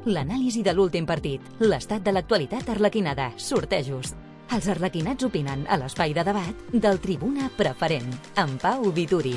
L'anàlisi de l'últim partit, l'estat de l'actualitat arlequinada, sortejos. Els arlequinats opinen a l'espai de debat del Tribuna Preferent, amb Pau Vituri.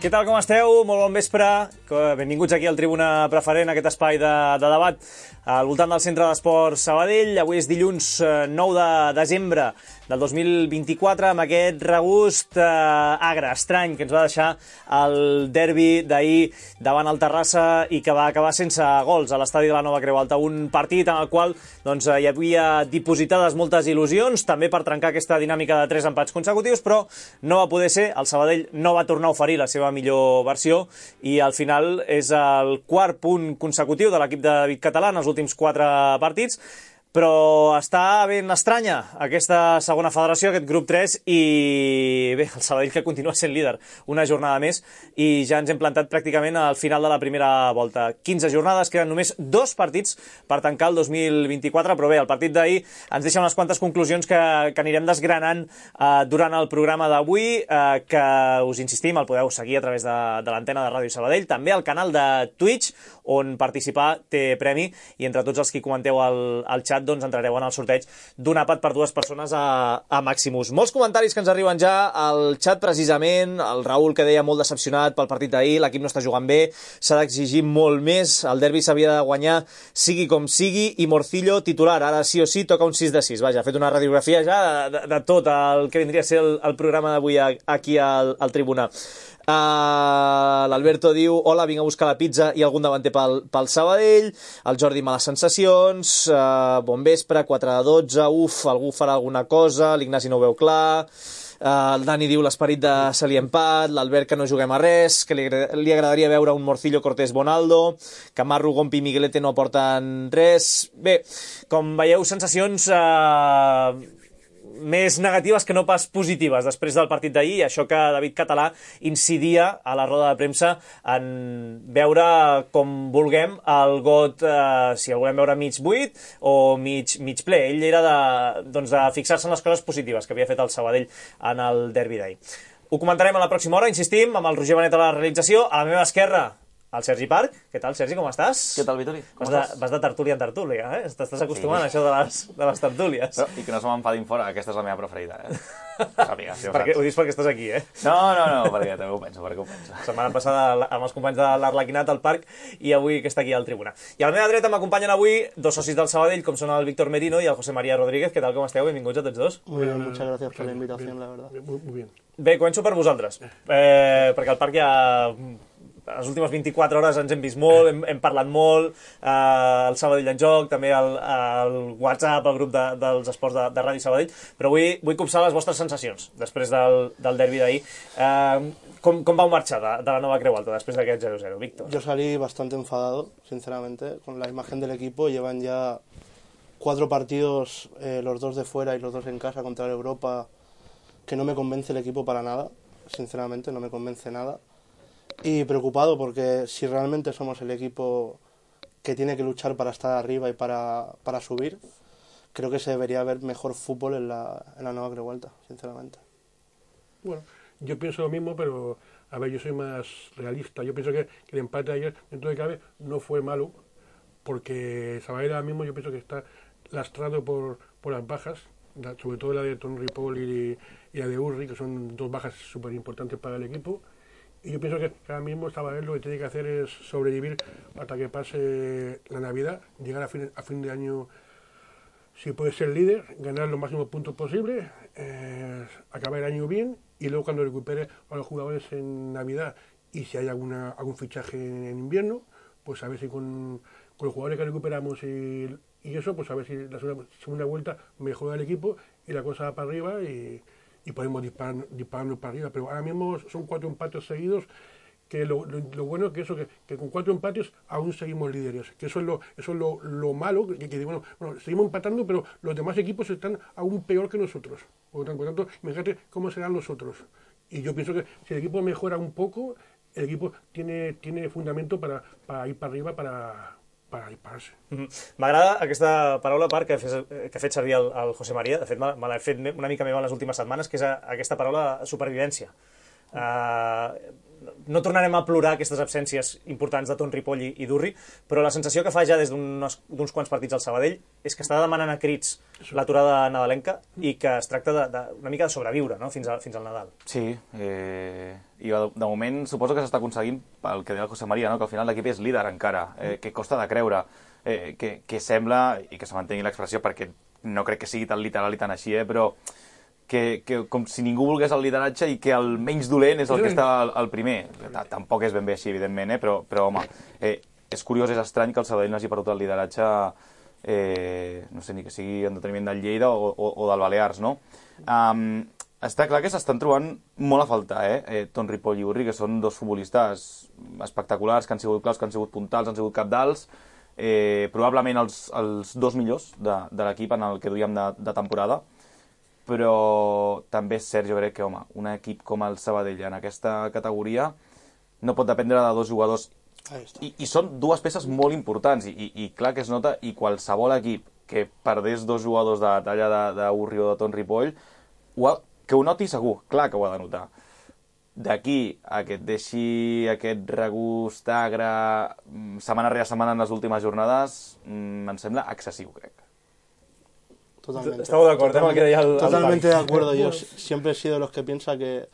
Què tal, com esteu? Molt bon vespre. Benvinguts aquí al Tribuna Preferent, aquest espai de debat al voltant del Centre d'Esports Sabadell. Avui és dilluns 9 de desembre del 2024, amb aquest regust agre, estrany, que ens va deixar el derbi d'ahir davant el Terrassa i que va acabar sense gols a l'estadi de la Nova Creu Alta. Un partit en el qual hi havia dipositades moltes il·lusions, també per trencar aquesta dinàmica de 3 empats consecutius, però no va poder ser. El Sabadell no va tornar a oferir la seva millor versió i al final és el quart punt consecutiu de l'equip de David Català en els últims 4 partits. Però està ben estranya aquesta segona federació, aquest grup 3, i bé, el Sabadell que continua sent líder una jornada més i ja ens hem plantat pràcticament al final de la primera volta. 15 jornades, queden només 2 partits per tancar el 2024, però bé, el partit d'ahir ens deixa unes quantes conclusions que anirem desgranant durant el programa d'avui, que us insistim, el podeu seguir a través de l'antena de Ràdio Sabadell, també al canal de Twitch, on participar té premi, i entre tots els que comenteu al xat doncs entrareu en el sorteig d'un àpat per 2 persones a Maximus. Molts comentaris que ens arriben ja al xat, precisament. El Raül, que deia molt decepcionat pel partit d'ahir, l'equip no està jugant bé, s'ha d'exigir molt més, el derbi s'havia de guanyar sigui com sigui, i Morcillo titular, ara sí o sí toca un 6 de 6. Vaja, ha fet una radiografia ja de tot el que vindria a ser el programa d'avui aquí al Tribuna. L'Alberto diu: hola, vinc a buscar la pizza i algun davanter pel Sabadell. El Jordi, males sensacions. Bon vespre, 4 de 12, algú farà alguna cosa. L'Ignasi no ho veu clar. El Dani diu l'esperit de Salí Empat. L'Albert, que no juguem a res, que li agradaria veure un Morcillo, Cortés, Bonaldo. Camarro, Gompi i Miguelete no aporten res. Bé, com veieu, sensacions més negatives que no pas positives després del partit d'ahir, això que David Català incidia a la roda de premsa en veure com vulguem el got, si el volem veure mig buit o mig ple. Ell era de fixar-se en les coses positives que havia fet el Sabadell en el derbi d'ahir. Ho comentarem a la pròxima hora, insistim, amb el Roger Benet a la realització. A la meva esquerra, el Sergi Parc. Què tal, Sergi, com estàs? Què tal, Vituri? Vas de tertúlia en tertúlia, eh? T'estàs acostumant a això de les tertúlies. Però, i que no se m'enfadin fora, aquesta és la meva preferida, eh? Sàpiga, si ho dius perquè estàs aquí, eh? No, perquè també ho penso, La setmana passada amb els companys de l'Arlequinat al parc i avui que està aquí al Tribuna. I a la meva dreta m'acompanyen avui 2 socis del Sabadell, com són el Víctor Merino i el José María Rodríguez. Què tal, com esteu? Benvinguts a tots dos. Muy bien, muchas gracias por la invitación, la verdad. Muy bien. Bé, començo per vosaltres, perquè al parc ja... les últimes 24 hores ens hem vist molt, hem parlat molt, el Sabadell en joc, també el WhatsApp, el grup dels esports de Ràdio Sabadell, però vull copsar les vostres sensacions després del derbi d'ahir. ¿Cómo vau marxar de la Nova Creu Alta després d'aquest 0-0, Víctor? Yo salí bastante enfadado, sinceramente, con la imagen del equipo. Llevan ya 4 partidos, los 2 de fuera y los 2 en casa contra el Europa, que no me convence el equipo para nada, sinceramente, no me convence nada. Y preocupado porque si realmente somos el equipo que tiene que luchar para estar arriba y para subir, creo que se debería ver mejor fútbol en la nueva Creuelta, sinceramente. Bueno, yo pienso lo mismo, pero a ver, yo soy más realista. Yo pienso que el empate de ayer, dentro de cabe, no fue malo, porque Sabadell ahora mismo yo pienso que está lastrado por las bajas, sobre todo la de Ton Ripoll y la de Urri, que son dos bajas súper importantes para el equipo. Y yo pienso que ahora mismo Sabadell lo que tiene que hacer es sobrevivir hasta que pase la Navidad, llegar a fin de año, si puede ser líder, ganar los máximos puntos posibles, acabar el año bien, y luego cuando recupere a los jugadores en Navidad y si hay algún fichaje en invierno, pues a ver si con los jugadores que recuperamos y eso, pues a ver si la segunda vuelta mejora el equipo y la cosa va para arriba y podemos dispararnos para arriba. Pero ahora mismo son 4 empates seguidos, que lo bueno es que con 4 empates aún seguimos líderes, que eso es lo malo, que bueno, seguimos empatando, pero los demás equipos están aún peor que nosotros. Por lo tanto, imagínate cómo serán los otros. Y yo pienso que si el equipo mejora un poco, el equipo tiene fundamento para ir para arriba, para dispararse. M'agrada aquesta paraula, Parc, que ha fet servir el José María. De fet, me l'ha fet una mica meva en les últimes setmanes, que és aquesta paraula supervivència. No tornarem a plorar aquestes absències importants de Ton Ripoll i d'Urri, però la sensació que fa ja des d'uns quants partits al Sabadell és que està demanant a crits l'aturada nadalenca i que es tracta una mica de sobreviure, no? fins al Nadal. Sí, i de moment suposo que s'està aconseguint pel que deia el José María, no? Que al final l'equip és líder encara, que costa de creure, que sembla, i que se mantengui l'expressió perquè no crec que sigui tan literal i tan així, però que com si ningú volgués el lideratge i que el menys dolent és el que està al primer. Tampoc és ben bé així, evidentment, però home, és curiós, és estrany que el Sabadell no hagi perdut el lideratge, no sé, ni que sigui en deteniment del Lleida o del Balears, no? Està clar que s'estan trobant molt a faltar, Ton Ripoll i Urri, que són dos futbolistes espectaculars, que han sigut claus, que han sigut puntals, han sigut capdals, probablement els dos millors de l'equip en el que duíem de temporada, però també és cert, jo crec que, home, un equip com el Sabadell en aquesta categoria no pot dependre de dos jugadors, i són dues peces molt importants, i clar que es nota, i qualsevol equip que perdés dos jugadors de la talla d'Urri o de Ton Ripoll, que ho noti segur, clar que ho ha de notar. D'aquí a que et deixi aquest regust agre setmana rere setmana en les últimes jornades, em sembla excessiu, crec. Totalmente. Estamos de acuerdo, totalmente de acuerdo. Yo siempre he sido de los que piensa que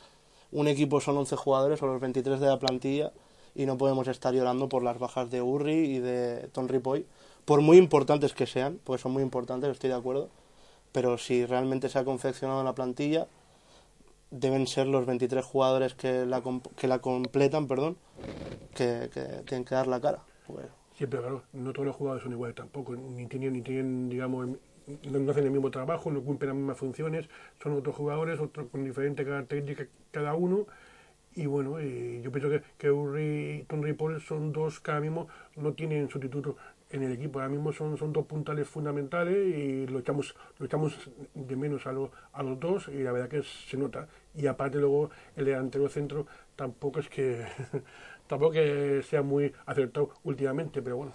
un equipo son 11 jugadores o los 23 de la plantilla y no podemos estar llorando por las bajas de Urri y de Ton Ripoll, por muy importantes que sean, porque son muy importantes, estoy de acuerdo, pero si realmente se ha confeccionado la plantilla, deben ser los 23 jugadores que la completan, que tienen que dar la cara. Sí, pero claro, no todos los jugadores son iguales tampoco, ni tienen, digamos, no hacen el mismo trabajo, no cumplen las mismas funciones, son otros jugadores, otros con diferentes características cada uno, y bueno, yo pienso que Urri y Ton Ripoll son dos que ahora mismo no tienen sustituto en el equipo, ahora mismo son dos puntales fundamentales y lo echamos de menos a los dos, y la verdad que se nota, y aparte luego el delantero centro tampoco es que sea muy acertado últimamente, pero bueno,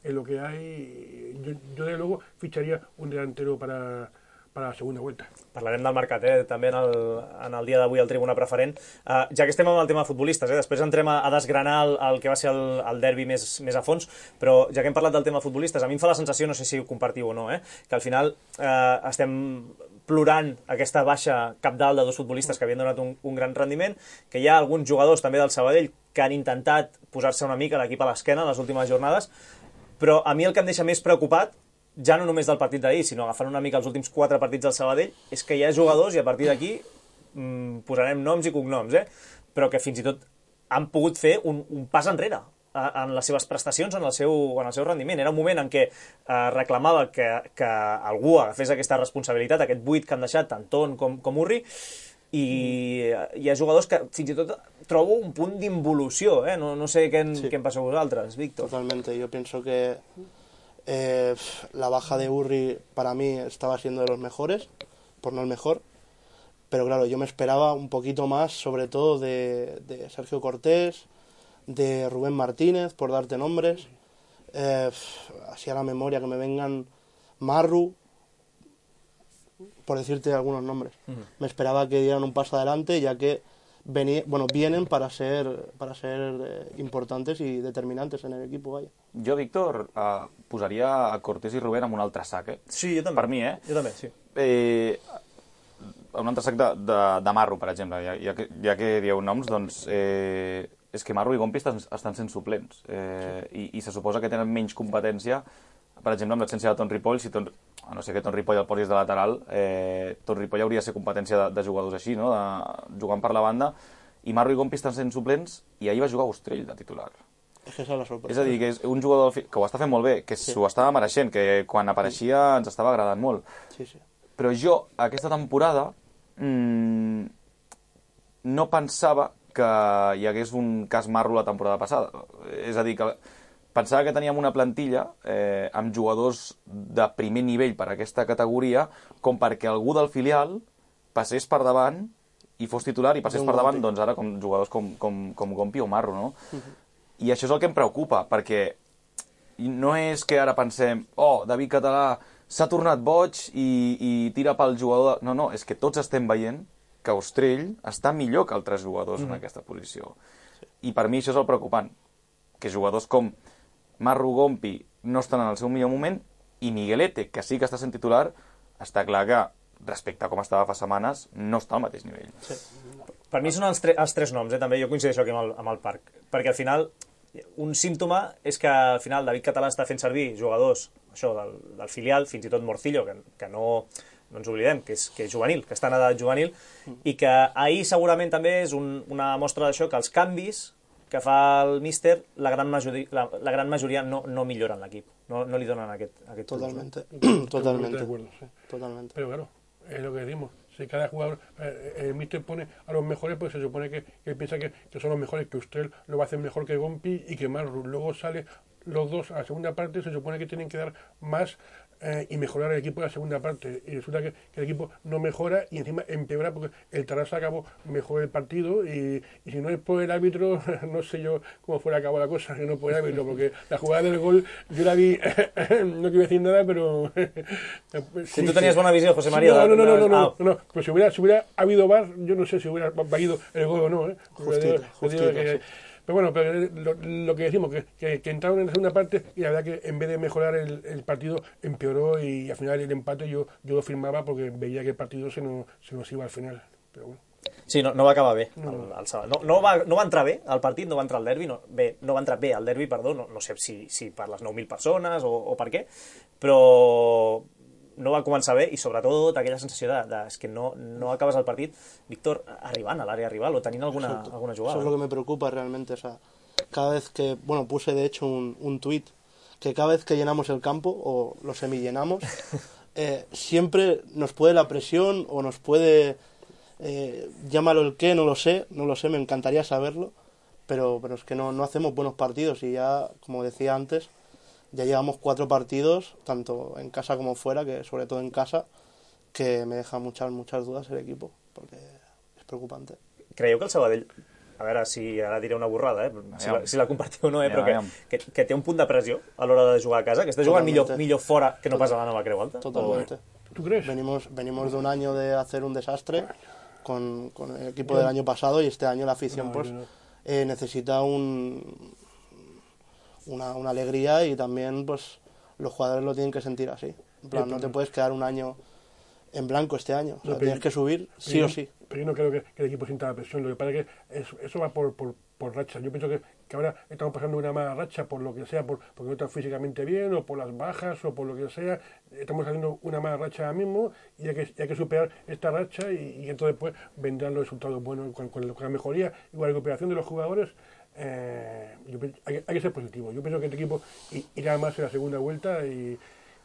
es lo que hay. Yo de luego ficharia un delantero para la segunda vuelta. Parlarem del mercat, també en el dia d'avui al Tribuna Preferent. Ja que estem amb el tema de futbolistes, després entrem a desgranar el que va ser el derbi més a fons, però ja que hem parlat del tema de futbolistes, a mi em fa la sensació, no sé si ho compartiu o no, que al final estem plorant aquesta baixa cabdal de dos futbolistes que havien donat un gran rendiment, que hi ha alguns jugadors també del Sabadell que han intentat posar-se una mica l'equip a l'esquena en les últimes jornades, però a mi el que em deixa més preocupat, ja no només del partit d'ahir, sinó agafant una mica els últims 4 partits del Sabadell, és que hi ha jugadors, i a partir d'aquí posarem noms i cognoms, però que fins i tot han pogut fer un pas enrere en les seves prestacions, en el seu rendiment. Era un moment en què reclamava que algú agafés aquesta responsabilitat, aquest buit que han deixat tant Ton com Urri, i hi ha jugadors que fins i tot trobo un punt d'involució, no sé què en passa a vosaltres, Víctor. Totalmente, yo pienso que la baja de Urri para mí estaba siendo de los mejores, por no el mejor, pero claro, yo me esperaba un poquito más, sobre todo de Sergio Cortés, de Rubén Martínez, por darte nombres, así a la memoria, que me vengan Marru, por decirte algunos nombres. Me esperaba que dieran un paso adelante, ya que vienen para ser importantes i determinantes en el equipo, vaya. Jo, Víctor, posaria a Cortés i Rubén amb un altre sac, Sí, jo també. Per mi, Jo també, sí. Un altre sac de Marro, per exemple. Ja que dieu noms, doncs és que Marro i Gompi estan sent suplents i se suposa que tenen menys competència, per exemple, amb l'absència de Ton Ripoll. A no ser que Ton Ripoll el posis de lateral, Ton Ripoll hauria de ser competència de jugadors així, no? Jugant per la banda, i Marro i Gompi estan sent suplents, i ahir va jugar Ostrell de titular. És que és la sorpresa. És a dir, que és un jugador que ho està fent molt bé, que s'ho estava mereixent, que quan apareixia ens estava agradant molt. Sí. Però jo, aquesta temporada, no pensava que hi hagués un cas Marro la temporada passada. És a dir, que pensava que teníem una plantilla amb jugadors de primer nivell per a aquesta categoria, com perquè algú del filial passés per davant i fos titular i passés per davant, doncs ara com jugadors com Gompi o Marro, no? I això és el que em preocupa, perquè no és que ara pensem David Català s'ha tornat boig i tira pel jugador... No, és que tots estem veient que Ostrell està millor que altres jugadors en aquesta posició. I per mi això és el preocupant, que jugadors com Marro, Gompi no estan en el seu millor moment, i Miguelete, que sí que està sent titular, està clar que, respecte a com estava fa setmanes, no està al mateix nivell. Sí. Per mi són els tres noms, també jo coincideixo aquí amb el Parc, perquè al final un símptoma és que al final David Català està fent servir jugadors això del filial, fins i tot Morcillo, que no ens oblidem, que és juvenil, que està en edat juvenil, i que ahir segurament també és una mostra d'això, que els canvis que fa el míster, la gran majoria no milloren l'equip, no li donen aquest Totalmente. Pero claro, es lo que decimos. Si cada jugador, el míster pone a los mejores, pues se supone que piensa que son los mejores, que usted lo va a hacer mejor que Gompi y que Marru. Luego sale los dos a la segunda parte, se supone que tienen que dar más y mejorar el equipo en la segunda parte. Y resulta que el equipo no mejora y encima empeora porque el Tarrasa acabó mejor el partido y si no es por el árbitro, no sé yo cómo fuera acabó la cosa, que no por el árbitro, porque la jugada del gol yo la vi, no quiero decir nada, pero... Si tú tenías buena visión, José María... No, pues si hubiera habido VAR, yo no sé si hubiera valido el gol o no. Justito, sí. Pero bueno, lo que decimos, que entraron en la segunda parte y la verdad que en vez de mejorar el partido empeoró y al final el empate yo lo firmaba porque veía que el partido se nos iba al final. Pero bueno. Sí, no va acabar bé el sábado. No va entrar bé al partit, no va entrar al derbi, no va entrar bé al derbi, perdó, no sé si per les 9.000 persones o per què, però no va començar bé i sobretot aquella sensació és que no acabes el partit, Víctor, arribant a l'àrea rival o tenint alguna jugada. Eso es lo que me preocupa realmente. O sea, cada vez que, puse de hecho un tuit, que cada vez que llenamos el campo o lo semillenamos, siempre nos puede la presión o nos puede, llámalo el qué, no lo sé, me encantaría saberlo, pero es que no hacemos buenos partidos y ya, como decía antes, ya llevamos 4 partidos, tanto en casa como fuera, que sobre todo en casa, que me deja muchas dudas el equipo, porque es preocupante. Creieu que el Sabadell, a veure si ara diré una borrada, si la compartiu o no, però que té un punt de pressió a l'hora de jugar a casa, que està jugant millor fora que no pas a la Nova Creu Alta? Totalmente. ¿Tú crees? Venimos de un año de hacer un desastre con el equipo del año pasado y este año la afición necesita una alegría y también pues los jugadores lo tienen que sentir así. En plan, no te puedes quedar un año en blanco este año. O sea, tienes que subir sí o sí. Pero yo no creo que el equipo sienta la presión. Lo que pasa es que eso va por racha. Yo pienso que ahora estamos pasando una mala racha por lo que sea, porque no están físicamente bien o por las bajas o por lo que sea. Estamos haciendo una mala racha ahora mismo y hay que superar esta racha y entonces pues vendrán los resultados buenos con la mejoría y con la recuperación de los jugadores. Hay que ser positivo. Jo penso que aquest equip irà més a la segunda vuelta i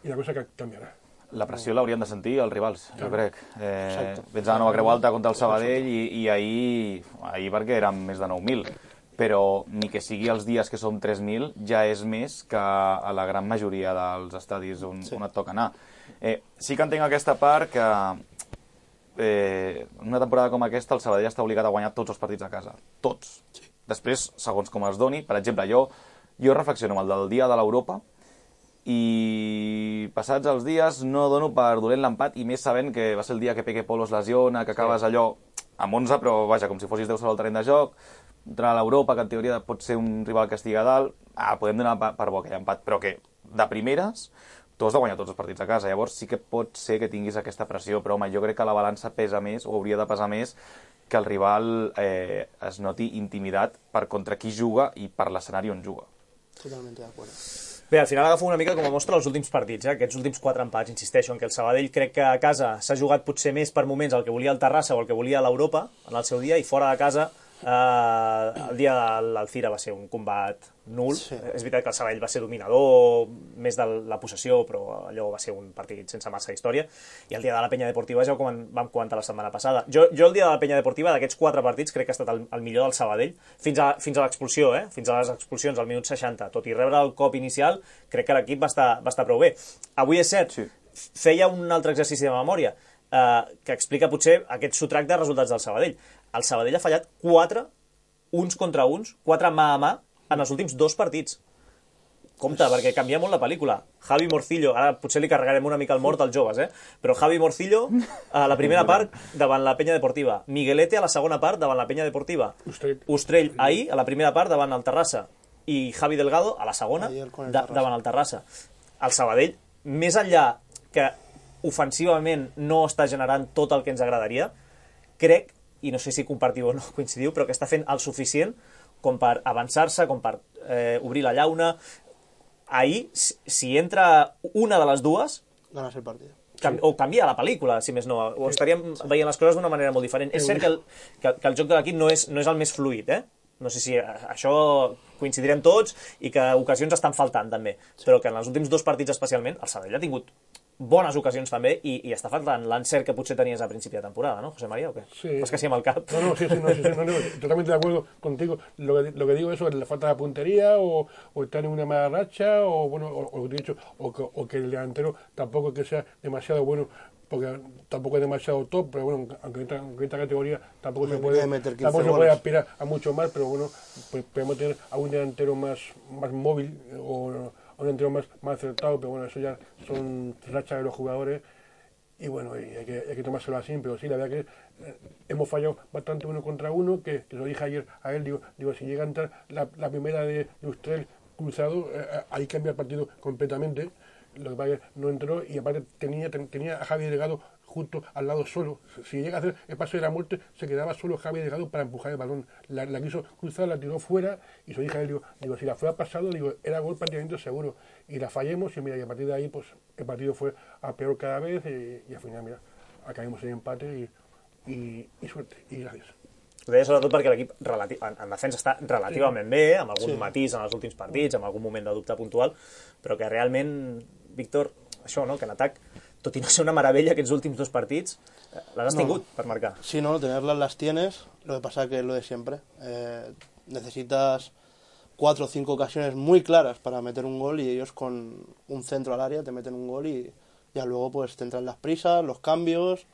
la cosa canviarà. La pressió l'haurien de sentir els rivals, jo crec. Vens a la Nova Creu Alta contra el Sabadell i ahir perquè eren més de 9.000, però ni que sigui els dies que som 3.000 ja és més que a la gran majoria dels estadis on et toca anar. Sí que entenc aquesta part que en una temporada com aquesta el Sabadell està obligat a guanyar tots els partits a casa. Tots. Després, segons com els doni, per exemple, jo jo reflexiono amb el del dia de l'Europa i passats els dies no dono per dolent l'empat, i més sabent que va ser el dia que Peque Polo es lesiona, que acabes allò amb 11, però vaja, com si fossis 10 sobre el terreny de joc, contra l'Europa, que en teoria pot ser un rival que estigui a dalt, podem donar per bo aquell empat, però que de primeres tu has de guanyar tots els partits a casa, llavors sí que pot ser que tinguis aquesta pressió, però home, jo crec que la balança pesa més, o hauria de pesar més, que el rival es noti intimidat per contra qui juga i per l'escenari on juga. Totalmente de acuerdo. Bé, al final agafo una mica com a mostra els últims partits, aquests últims 4 empats, insisteixo, en què el Sabadell crec que a casa s'ha jugat potser més per moments el que volia el Terrassa o el que volia l'Europa en el seu dia, i fora de casa el dia de l'Alcira va ser un combat nul. Sí. És veritat que el Sabadell va ser dominador, més de la possessió, però allò va ser un partit sense massa història, i el dia de la Penya Deportiva ja ho vam comentar la setmana passada. Jo el dia de la Penya Deportiva, d'aquests 4 partits, crec que ha estat el millor del Sabadell, fins a l'expulsió, fins a les expulsions al minut 60, tot i rebre el cop inicial, crec que l'equip va estar prou bé. Avui és cert, sí. Feia un altre exercici de memòria, que explica potser aquest sotrac de resultats del Sabadell. El Sabadell ha fallat 4 uns contra uns, 4 mà a mà, en els últims 2 partits. Compte, perquè canvia molt la pel·lícula. Javi Morcillo, ara potser li carregarem una mica el mort als joves, però Javi Morcillo a la primera part davant la Penya Deportiva, Miguelete a la segona part davant la Penya Deportiva, Ustrell ahir a la primera part davant el Terrassa, i Javi Delgado a la segona davant el Terrassa. El Sabadell, més enllà que ofensivament no està generant tot el que ens agradaria, crec, i no sé si compartiu o no coincidiu, però que està fent el suficient com per avançar-se, com per obrir la llauna. Ahir, si entra una de les dues, ganes el partit. O canvia la pel·lícula, si més no, o estaríem veient les coses d'una manera molt diferent. És cert que el joc de l'equip no és el més fluid, No sé si això coincidirem tots i que ocasions estan faltant també, però que en els últims 2 partits especialment el Sabadell ha tingut bones ocasions també i està faltant l'encert que potser tenies a principi de temporada, ¿no, José María, o qué? Sí. Pues que sí amb el cap. No, totalmente de acuerdo contigo. Lo que digo eso, le falta la puntería o está en una mala racha o que el delantero tampoco es que sea demasiado bueno, porque tampoco es demasiado top, pero bueno, aunque en esta categoría tampoco se puede aspirar a mucho más, pero bueno, pues podemos tener a un delantero más móvil o a un delantero más acertado, pero bueno, eso ya son rachas de los jugadores y bueno, y hay que tomárselo así, pero sí, la verdad que hemos fallado bastante 1 contra 1, que lo dije ayer a él, digo si llega a entrar la primera de Ustrell cruzado, ahí cambia el partido completamente. Lo que pasa es que no entró y aparte tenía a Javi Delgado justo al lado solo. Si llega a hacer el paso de la muerte, se quedaba solo Javi Delgado para empujar el balón. La quiso cruzar, la tiró fuera y se dije a él, digo, si la fuera pasado, era gol prácticamente seguro. Y la fallemos y mira, y a partir de ahí pues el partido fue a peor cada vez y al final, mira, acabamos en empate y suerte y gracias. Ho deia sobretot perquè l'equip en defensa està relativament bé, amb algun matís en els últims partits, amb algun moment de dubte puntual, però que realment, Víctor, això, no? Que en atac, tot i no ser una meravella aquests últims 2 partits, les has tingut per marcar. Sí, no, tenerlas las tienes, lo que pasa que es lo de siempre. Necesitas 4 o 5 ocasiones muy claras para meter un gol y ellos con un centro al área te meten un gol y ya luego pues te entran las prisas, los cambios,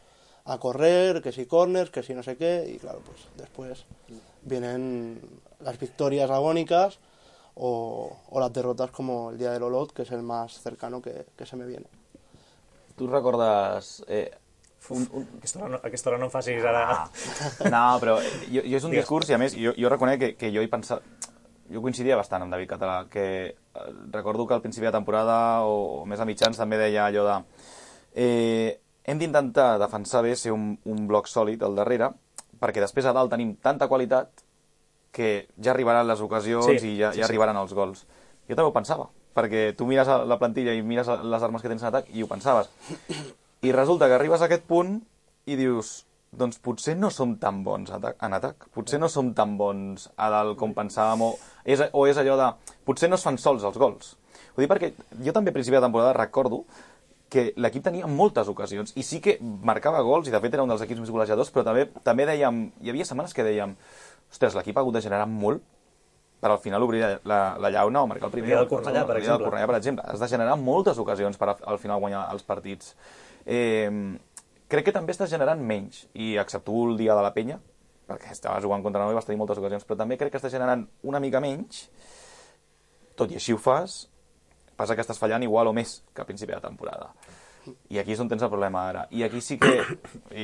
a correr, que si corners, que si no sé qué, y claro, pues después vienen las victorias agónicas o las derrotas como el día del Olot, que es el más cercano que se me viene. Tu recordes... Aquesta hora no em facis ara... No, però jo és un discurs i a més jo reconec que jo he pensat... Jo coincidia bastant amb David Català, que recordo que al principi de temporada o més a mitjans també deia allò de... hem d'intentar defensar bé, ser un bloc sòlid al darrere, perquè després a dalt tenim tanta qualitat que ja arribaran les ocasions i ja arribaran els gols. Jo també ho pensava, perquè tu mires la plantilla i mires les armes que tens en atac i ho pensaves. I resulta que arribes a aquest punt i dius, doncs potser no som tan bons en atac, potser no som tan bons a dalt com pensàvem, o és allò de, potser no es fan sols els gols. Ho dic perquè jo també a principi de temporada recordo que l'equip tenia moltes ocasions i sí que marcava gols i de fet era un dels equips més golejadors, però també dèiem, hi havia setmanes que dèiem, ostres, l'equip ha hagut de generar molt per al final obrir la llauna o marcar el primer. El Cornellà, per exemple. Has de generar moltes ocasions per al final guanyar els partits. Crec que també estàs generant menys, i excepto el dia de la Penya, perquè estava jugant contra noi i vas tenir moltes ocasions, però també crec que estàs generant una mica menys, tot i així ho fas, passa que estàs fallant igual o més que a principi de temporada. I aquí és on tens el problema ara. I aquí sí que,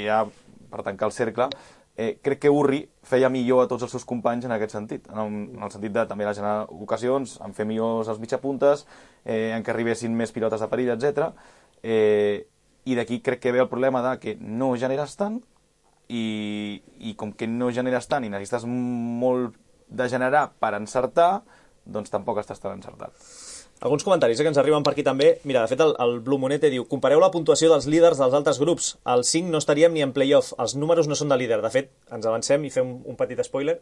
ja per tancar el cercle, crec que Urri feia millor a tots els seus companys en aquest sentit, en el sentit de també la generar ocasions, en fer millors els mitjapuntes, en que arribessin més pilotes de perill, etc. I d'aquí crec que ve el problema de que no generes tant, i com que no generes tant i necessites molt de generar per encertar, doncs tampoc estàs tan encertat. Alguns comentaris que ens arriben per aquí també. Mira, de fet, el Blue Monete diu: compareu la puntuació dels líders dels altres grups. Al 5 no estaríem ni en playoff. Els números no són de líder. De fet, ens avancem i fem un petit spoiler.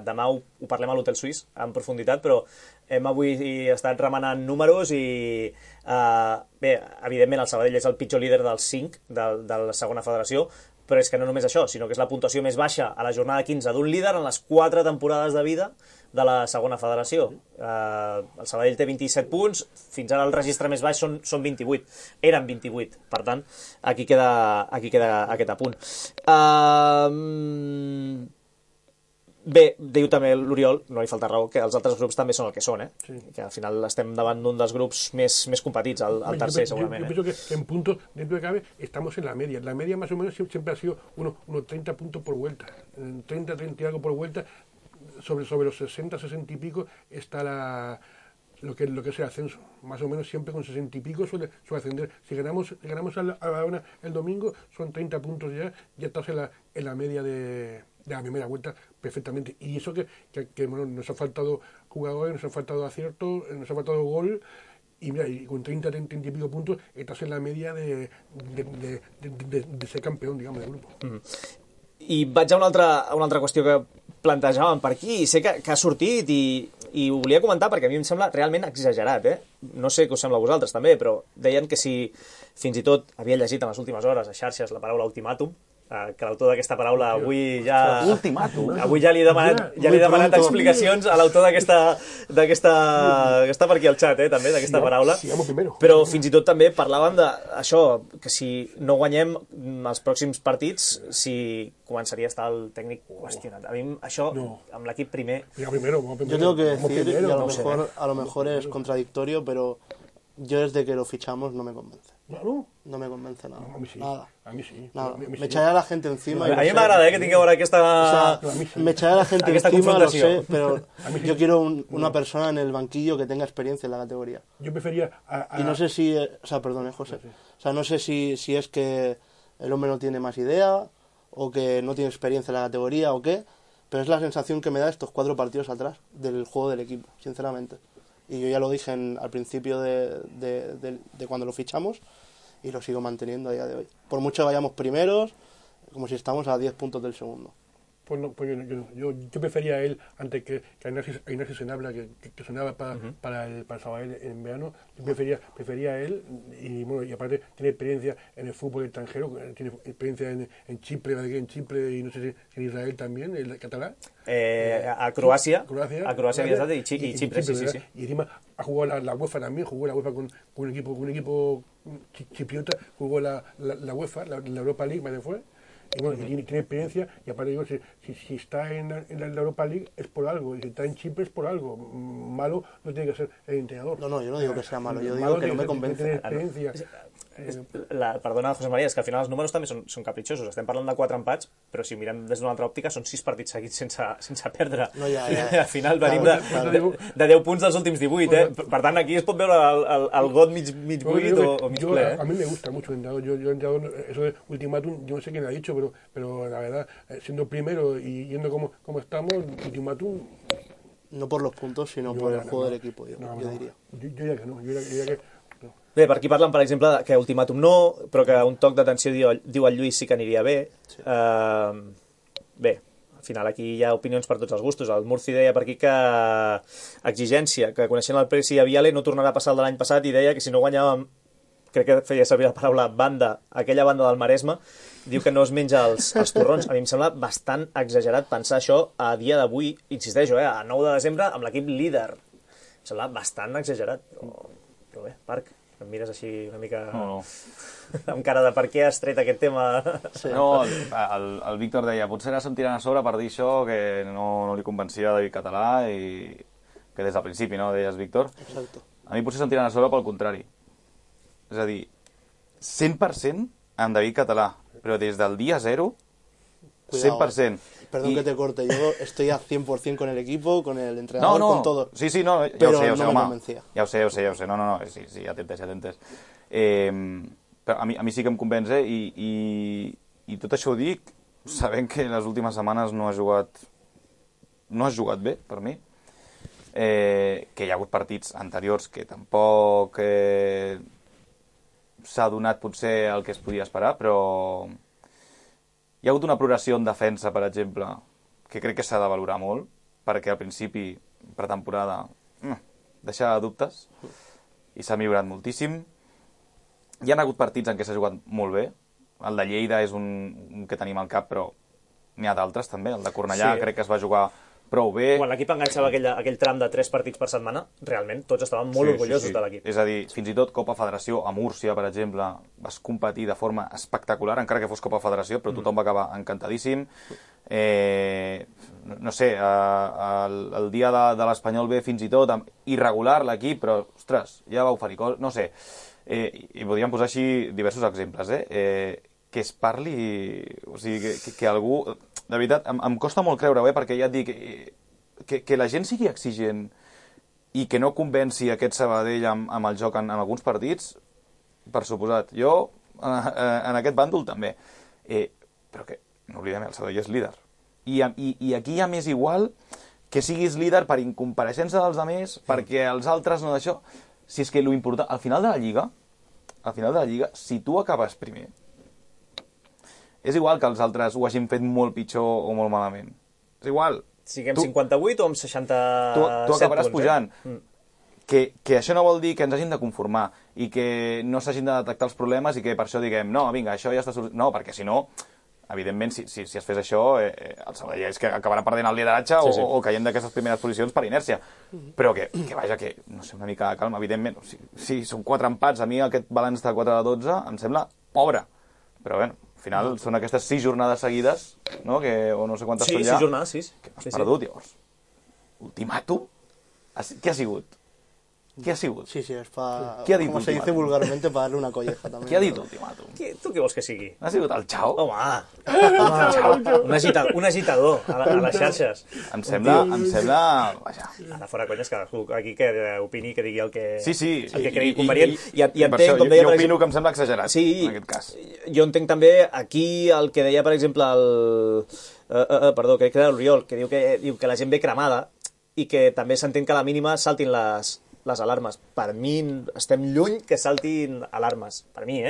Demà ho parlem a l'Hotel Suís en profunditat, però hem avui estat remenant números i... bé, evidentment el Sabadell és el pitjor líder dels 5 de la segona federació, però és que no només això, sinó que és la puntuació més baixa a la jornada 15 d'un líder en les 4 temporades de vida de la segona federació. El Sabadell té 27 punts, fins ara el registre més baix són 28. Eren 28, per tant, aquí queda aquest apunt. Bé, diu també l'Oriol, no li falta raó, que els altres grups també són el que són, Sí. Que al final estem davant d'un dels grups més competits, el tercer segurament. Yo pienso que en puntos, dentro de cabe, estamos en la media. La media más o menos siempre ha sido unos 30 puntos por vuelta. 30 y algo por vuelta. Sobre los 60, 60 y pico está lo que es el ascenso. Más o menos siempre con 60 y pico suele ascender. Si ganamos a la una el domingo, son 30 puntos ya estás en la media de la primera vuelta perfectamente. Y eso que bueno, nos ha faltado jugadores, nos ha faltado acierto, nos ha faltado gol. Y mira, y con 30 y pico puntos estás en la media de ser campeón, digamos, del grupo. I vaig a una altra qüestió que plantejàvem per aquí, i sé que ha sortit i ho volia comentar perquè a mi em sembla realment exagerat, No sé què us sembla a vosaltres també, però deien que si fins i tot havia llegit en les últimes hores a xarxes la paraula ultimàtum, que l'autor d'aquesta paraula avui ja... Ultimàtum? Avui ja li he demanat explicacions a l'autor d'aquesta per aquí al xat, també, d'aquesta paraula. Però fins i tot també parlàvem d'això, que si no guanyem els pròxims partits, si començaria a estar el tècnic qüestionat. A mi això, amb l'equip primer... Yo tengo que decir, y a lo mejor es contradictorio, pero yo desde que lo fichamos no me convence. No me convence nada. A mí sí. Nada. A mí sí. Nada. Me echaré a la gente encima. A mi m'agrada que tingueu ara aquesta... O sea, me echaré a la gente encima, lo sé, pero yo quiero una persona en el banquillo que tenga experiencia en la categoría. Yo prefería... Y no sé si... O sea, perdón, José. O sea, no sé si es que el hombre no tiene más idea o que no tiene experiencia en la categoría o qué, pero es la sensación que me da estos 4 partidos atrás del juego del equipo, sinceramente. Y yo ya lo dije al principio de cuando lo fichamos y lo sigo manteniendo a día de hoy. Por mucho que vayamos primeros, como si estamos a 10 puntos del segundo. Pues no, pues yo prefería a él antes que a Ignacio Senabla, que sonaba para el Sabadell en verano. Yo prefería a él y bueno, y aparte tiene experiencia en el fútbol extranjero, tiene experiencia en Chipre, y no sé si en Israel también, el catalán. A Croacia había estado y Chipre, sí. Y encima ha jugado la UEFA también, jugó la UEFA con un equipo chipriota, jugó la UEFA, la Europa League, me fue. Y bueno, tiene experiencia, y aparte digo, si está en la Europa League es por algo, y si está en Chipre es por algo. Malo no tiene que ser el entrenador. No, yo no digo que sea malo, yo digo que no me convence. Perdona, José María, és que al final els números també són capritxosos. Estem parlant de 4 empats, però si mirem des d'una altra òptica són 6 partits seguits sense perdre. No, ja. Al final venim de 10 punts dels últims 18, Per tant, aquí es pot veure el got mig buit o mig ple. A mí me gusta mucho el entrenador. Yo entrenador, eso de ultimátum, yo no sé quién lo ha dicho, pero la verdad, siendo primero y yendo como estamos, ultimátum... No por los puntos, sino por el juego del equipo, yo diría. Yo diría que no, yo diría que... Bé, per aquí parlen, per exemple, que ultimàtum no, però que un toc d'atenció diu el Lluís sí que aniria bé. Sí. Bé, al final aquí hi ha opinions per tots els gustos. El Murci deia per aquí que exigència, que coneixent el Presi a Viale no tornarà a passar el de l'any passat, i deia que si no guanyàvem, crec que feia servir la paraula banda, aquella banda del Maresme, diu que no es menja els torrons. A mi em sembla bastant exagerat pensar això a dia d'avui, insisteixo, a 9 de desembre, amb l'equip líder. Em sembla bastant exagerat, però bé, Parc, em mires així una mica... No. amb cara de per què has tret aquest tema. Sí. No, el Víctor deia, potser ara se'm tirant a sobre per dir això, que no li convencia David Català, i que des del principi, no, deies, Víctor? Exacto. A mi potser se'm tiren a sobre pel contrari. És a dir, 100% amb David Català, però des del dia 0, Cuidado, 100%. Perdón que te corte, yo estoy a 100% con el equipo, con el entrenador, con todo. Sí, no, ja Però ho sé, no me home. convencia. Ja ho sé. No, sí, ja t'he entès. Però a mi sí que em convenç, i tot això ho dic sabent que les últimes setmanes no has jugat bé, per mi. Que hi ha hagut partits anteriors que tampoc s'ha donat potser el que es podia esperar, però hi ha hagut una progressió en defensa, per exemple, que crec que s'ha de valorar molt, perquè al principi, pretemporada, deixava dubtes, i s'ha millorat moltíssim. Hi ha hagut partits en què s'ha jugat molt bé. El de Lleida és un que tenim al cap, però n'hi ha d'altres també. El de Cornellà crec que es va jugar prou bé. Quan l'equip enganxava aquell tram de 3 partits per setmana, realment tots estaven molt orgullosos de l'equip. És a dir, fins i tot Copa Federació a Múrcia, per exemple, vas competir de forma espectacular, encara que fos Copa Federació, però tothom va acabar encantadíssim. No sé, el dia de l'Espanyol B fins i tot, irregular l'equip, però, ostres, ja va oferir coses, no sé. I podríem posar així diversos exemples, que es parli, o sigui, que algú... De veritat, em costa molt creure-ho, perquè ja et dic que la gent sigui exigent i que no convenci aquest Sabadell amb el joc en alguns partits, per suposat. Jo, en aquest bàndol també. Però que, no oblidem, el Sabadell és líder. I aquí ja m'és igual que siguis líder per incompareixença dels altres, perquè els altres no d'això. Si és que l'important... Al final de la Lliga, si tu acabes primer, és igual que els altres ho hagin fet molt pitjor o molt malament. És igual. Siguem 58 o amb 67 tu acabaràs punts, pujant. Que això no vol dir que ens hagin de conformar i que no s'hagin de detectar els problemes i que per això diguem, no, vinga, això ja està... No, perquè si no, evidentment, si es fes això, el Sabadell és que acabarà perdent el lideratge o caient d'aquestes primeres posicions per inèrcia. Però que vaja, que, no sé, una mica de calma, evidentment. Si són 4 empats, a mi aquest balanç de 4 de 12 em sembla pobre. Però bé, al final són aquestes 6 jornades seguides, no? O no sé quantes són ja. 6 jornades, 6. Que no has perdut, llavors. Ultimàtum? Què ha sigut? ¿Qué ha sigut? Sí, es para, ¿Qué ha dit como se dice ultimàtum? vulgarmente, para darle una colleja también. Què ha dit ultimàtum? Tu què vols que sigui? Ha sigut el xau? Home, un agitador a les xarxes. Em sembla... Vaja. Ara fora conyes, que aquí que opini, que digui el que, Sí. el que cregui convenient. I Per entenc, això, com deia, jo per opino exemple... que em sembla exagerat, Sí, en aquest cas. jo entenc també aquí el que deia, per exemple, perdó, crec que era l'Oriol, que diu que la gent ve cremada i que també s'entén que a la mínima saltin les alarmes. Per mi estem lluny que saltin alarmes. Per mi,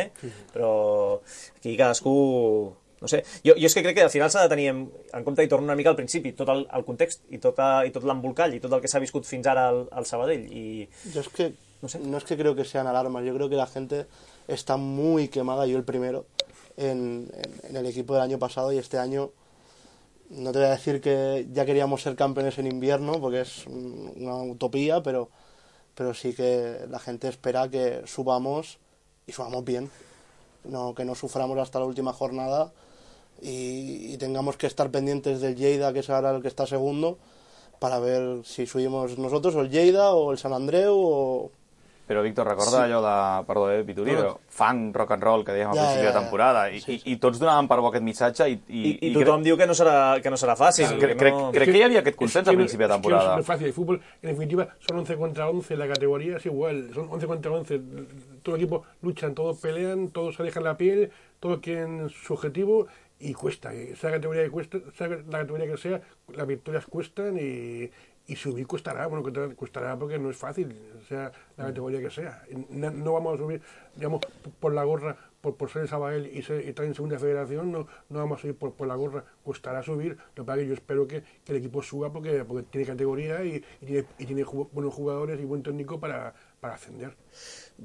Però aquí cadascú... No sé. Jo és que crec que al final s'ha de tenir en compte, i torno una mica al principi, tot el context i tot l'embolcall i tot el que s'ha viscut fins ara al Sabadell. Yo es que no es que creo que sean alarmas, yo creo que la gente está muy quemada, yo el primero, en el equipo del año pasado, y este año no te voy a decir que ya queríamos ser campeones en invierno, porque es una utopía, pero sí que la gente espera que subamos y subamos bien, que no suframos hasta la última jornada y tengamos que estar pendientes del Lleida, que es ahora el que está segundo, para ver si subimos nosotros o el Lleida o el Sant Andreu o... Però, Víctor, recorda allò de... Perdó, Pituri, però funk, rock and roll, que dèiem al principi de temporada, i tots donaven per bo aquest missatge i tothom diu que no serà fàcil. Crec que hi havia aquest consens al principi de temporada. Es que no es fácil. El fútbol, en definitiva, son 11 contra 11. La categoría es igual. Son 11 contra 11. Todo el equipo luchan, todos pelean, todos se dejan la piel, todos quieren su objetivo y cuesta. Sea la categoría que sea, las victorias cuestan y subir costará. Bueno, costará porque no es fácil, sea la categoría que sea. No vamos a subir, digamos, por la gorra, por ser el Sabadell y estar en segunda federación, no vamos a subir por la gorra. Costará subir. Lo que pasa es que yo espero que el equipo suba porque tiene categoría y tiene buenos jugadores y buen técnico para ascender.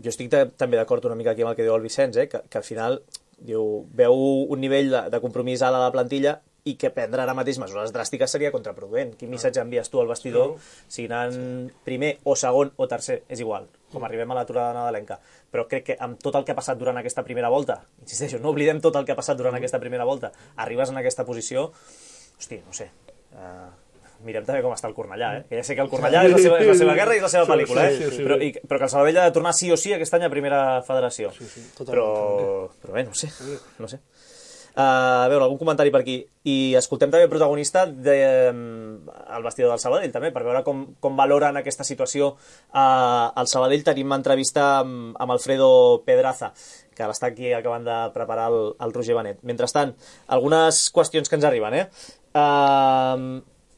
Jo estic també d'acord una mica aquí amb el que diu el Vicenç, que al final veu un nivell de compromís alt a la plantilla i que prendre ara mateix mesures dràstiques seria contraproduent. Quin missatge envies tu al vestidor si anant primer o segon o tercer? És igual, com arribem a l'aturada nadalenca. Però crec que amb tot el que ha passat durant aquesta primera volta, insisteixo, no oblidem tot el que ha passat durant aquesta primera volta, arribes en aquesta posició, hosti, no sé, mirem també com està el Cornellà, que ja sé que el Cornellà és la seva guerra i és la seva pel·lícula, però que el Sabadell ha de tornar sí o sí aquest any a primera federació. Però bé, no sé. A veure, algun comentari per aquí. I escoltem també el protagonista al vestidor del Sabadell, també, per veure com valoren aquesta situació al Sabadell. Tenim entrevista amb Alfredo Pedraza, que l'està aquí acabant de preparar el Roger Benet. Mentrestant, algunes qüestions que ens arriben,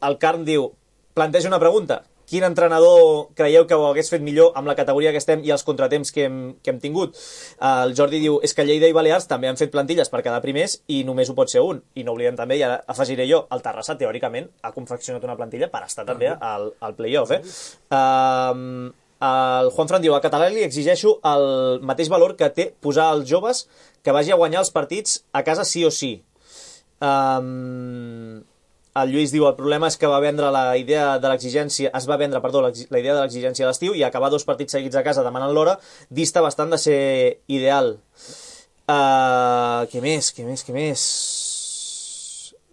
El Carn diu, planteja una pregunta. Quin entrenador creieu que ho hagués fet millor amb la categoria que estem i els contratemps que hem tingut? El Jordi diu, és que Lleida i Balears també han fet plantilles per quedar primers i només ho pot ser un. I no oblidem també, i ara afegiré jo, el Terrassa teòricament ha confeccionat una plantilla per estar també al play-off. El Juanfran diu, a Català li exigeixo el mateix valor que té posar els joves que vagi a guanyar els partits a casa sí o sí. El Lluís diu, el problema és que es va vendre la idea de l'exigència a l'estiu i acabar 2 partits seguits a casa demanant l'hora dista bastant de ser ideal. Què més?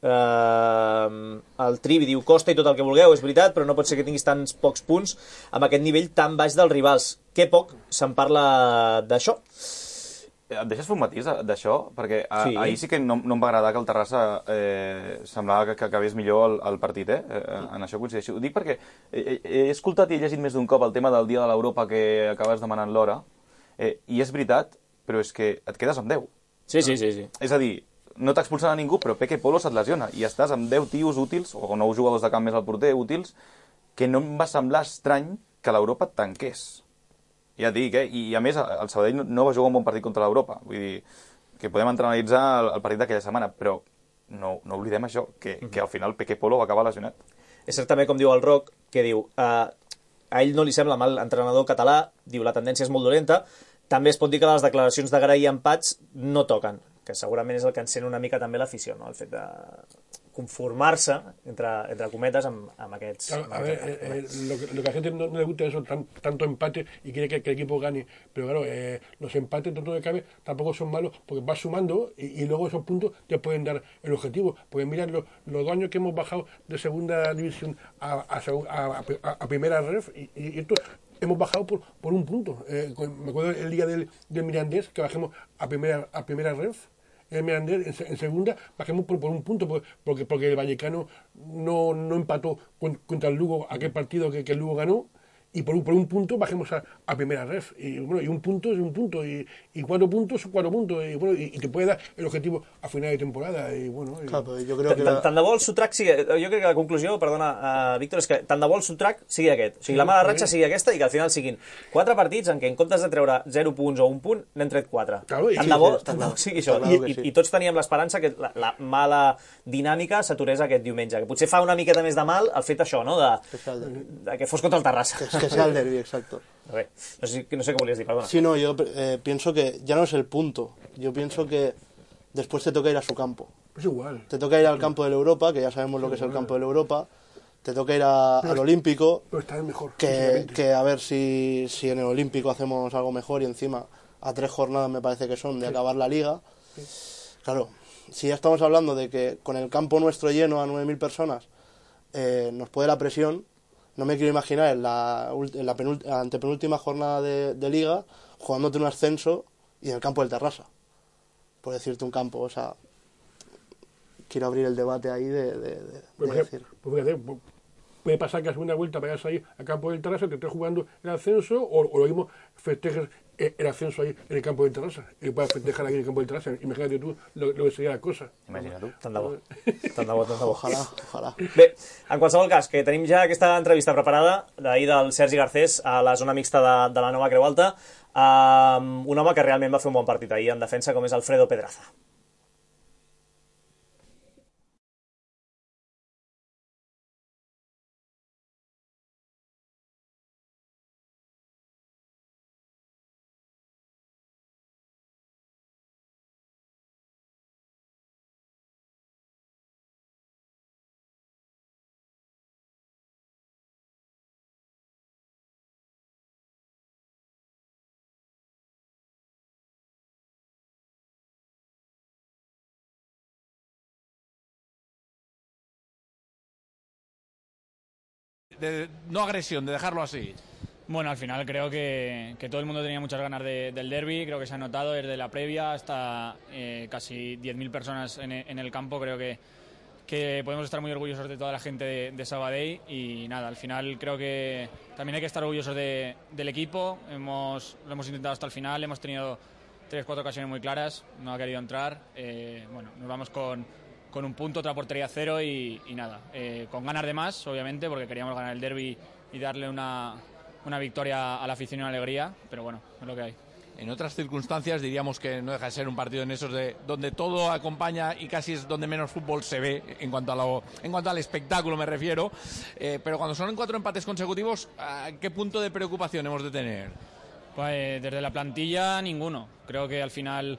El Trivi diu, costa i tot el que vulgueu, és veritat, però no pot ser que tinguis tants pocs punts amb aquest nivell tan baix dels rivals. Que poc se'n parla d'això. Et deixes fer un matís d'això? Perquè ahir sí que no em va agradar que el Terrassa semblava que acabés millor el partit, en això coincideixo. Ho dic perquè he escoltat i he llegit més d'un cop el tema del dia de l'Europa que acabes demanant l'hora, i és veritat, però és que et quedes amb 10. Sí. És a dir, no t'expulsen a ningú, però Peque Polo se't lesiona, i estàs amb 10 tios útils, o 9 jugadors de camp més al porter útils, que no em va semblar estrany que l'Europa et tanqués. Ja et dic, i a més el Sabadell no va jugar un bon partit contra l'Europa, vull dir que podem analitzar el partit d'aquella setmana, però no oblidem això, que al final Peque Polo va acabar lesionat. És cert també, com diu el Roc, que diu a ell no li sembla mal entrenador català, diu la tendència és molt dolenta, també es pot dir que les declaracions de Garay i empats no toquen, que segurament és el que encén una mica també l'afició, no? El fet de conformarse, entre cometas, a aquests... Claro, a ver, lo que a la gente no le gusta es eso, tanto empate y quiere que el equipo gane. Pero claro, los empates, tanto que cabe, tampoco son malos porque vas sumando y luego esos puntos te pueden dar el objetivo. Porque mira los 2 años que hemos bajado de segunda división a primera ref y esto... Hemos bajado por un punto. Me acuerdo el día del Mirandés, que bajemos a primera ref. El Mirandés en segunda bajemos por un punto, porque el Vallecano no empató contra el Lugo aquel partido que el Lugo ganó. Y por un punto bajemos a primera ref. Y bueno, y un punto es un punto. Y 4 puntos son 4 puntos. Y bueno, y te puede dar el objetivo a final de temporada. Y bueno. Clar, però jo crec que... Tant de bo el Sotrac sigui... Jo crec que la conclusió, perdona, Víctor, és que tant de bo el Sotrac sigui aquest. O sigui, la mala ratxa sigui aquesta i que al final siguin 4 partits en què en comptes de treure 0 punts o 1 punt, n'hem tret 4. Claro, tant de bo sigui això. I tots teníem l'esperança que la mala dinàmica s'aturés aquest diumenge. Que potser fa una miqueta més de mal el fet això, no? De que fos contra el Terrassa. Que sea el derbi, exacto. Ver, no sé qué volvías decir, perdona. Sí, no, yo pienso que ya no es el punto. Yo pienso que después te toca ir a su campo. Es igual. Te toca ir al campo del Europa, que ya sabemos lo que es el campo del Europa. Te toca ir al Olímpico. Pero está mejor. Que a ver si en el Olímpico hacemos algo mejor y encima a 3 jornadas me parece que son de acabar la liga. Sí. Claro, si ya estamos hablando de que con el campo nuestro lleno a 9.000 personas nos puede la presión. No me quiero imaginar en la antepenúltima jornada de Liga jugándote un ascenso y en el campo del Terrassa. Por decirte un campo, o sea, quiero abrir el debate ahí de decir... Pues fíjate, puede pasar que a segunda vuelta vayas ahí al campo del Terrassa, que estés jugando el ascenso, o lo mismo festejes el ascenso ahí en el campo del Terrassa, y puedas festejar aquí en el campo del Terrassa. Imagínate tú lo que sería la cosa. Imagina tu. Tant de bo. Ojalà. Bé, en qualsevol cas, que tenim ja aquesta entrevista preparada d'ahir del Sergi Garcés a la zona mixta de la nova Creu Alta, un home que realment va fer un bon partit ahir en defensa, com és Alfredo Pedraza. de no agresión, de dejarlo así? Bueno, al final creo que todo el mundo tenía muchas ganas del derbi, creo que se ha notado desde la previa hasta casi 10.000 personas en el campo, creo que podemos estar muy orgullosos de toda la gente de Sabadell y nada, al final creo que también hay que estar orgullosos del equipo, lo hemos intentado hasta el final, hemos tenido 3-4 ocasiones muy claras, no ha querido entrar, bueno, nos vamos con un punto, otra portería 0 y nada, con ganas de más, obviamente, porque queríamos ganar el derbi y darle una victoria a la afición y una alegría, pero bueno, es lo que hay. En otras circunstancias diríamos que no deja de ser un partido en esos donde todo acompaña y casi es donde menos fútbol se ve en cuanto al espectáculo me refiero, pero cuando son 4 empates consecutivos, ¿qué punto de preocupación hemos de tener? Pues desde la plantilla ninguno, creo que al final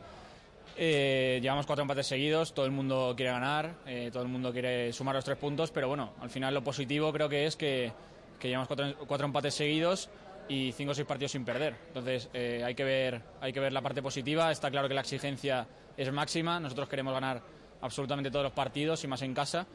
llevamos 4 empates seguidos, todo el mundo quiere ganar, todo el mundo quiere sumar los 3 puntos, pero bueno, al final lo positivo creo que es que llevamos 4 empates seguidos y 5 o 6 partidos sin perder. Entonces hay que ver la parte positiva. Está claro que la exigencia es máxima. Nosotros queremos ganar absolutamente todos los partidos y más en casa.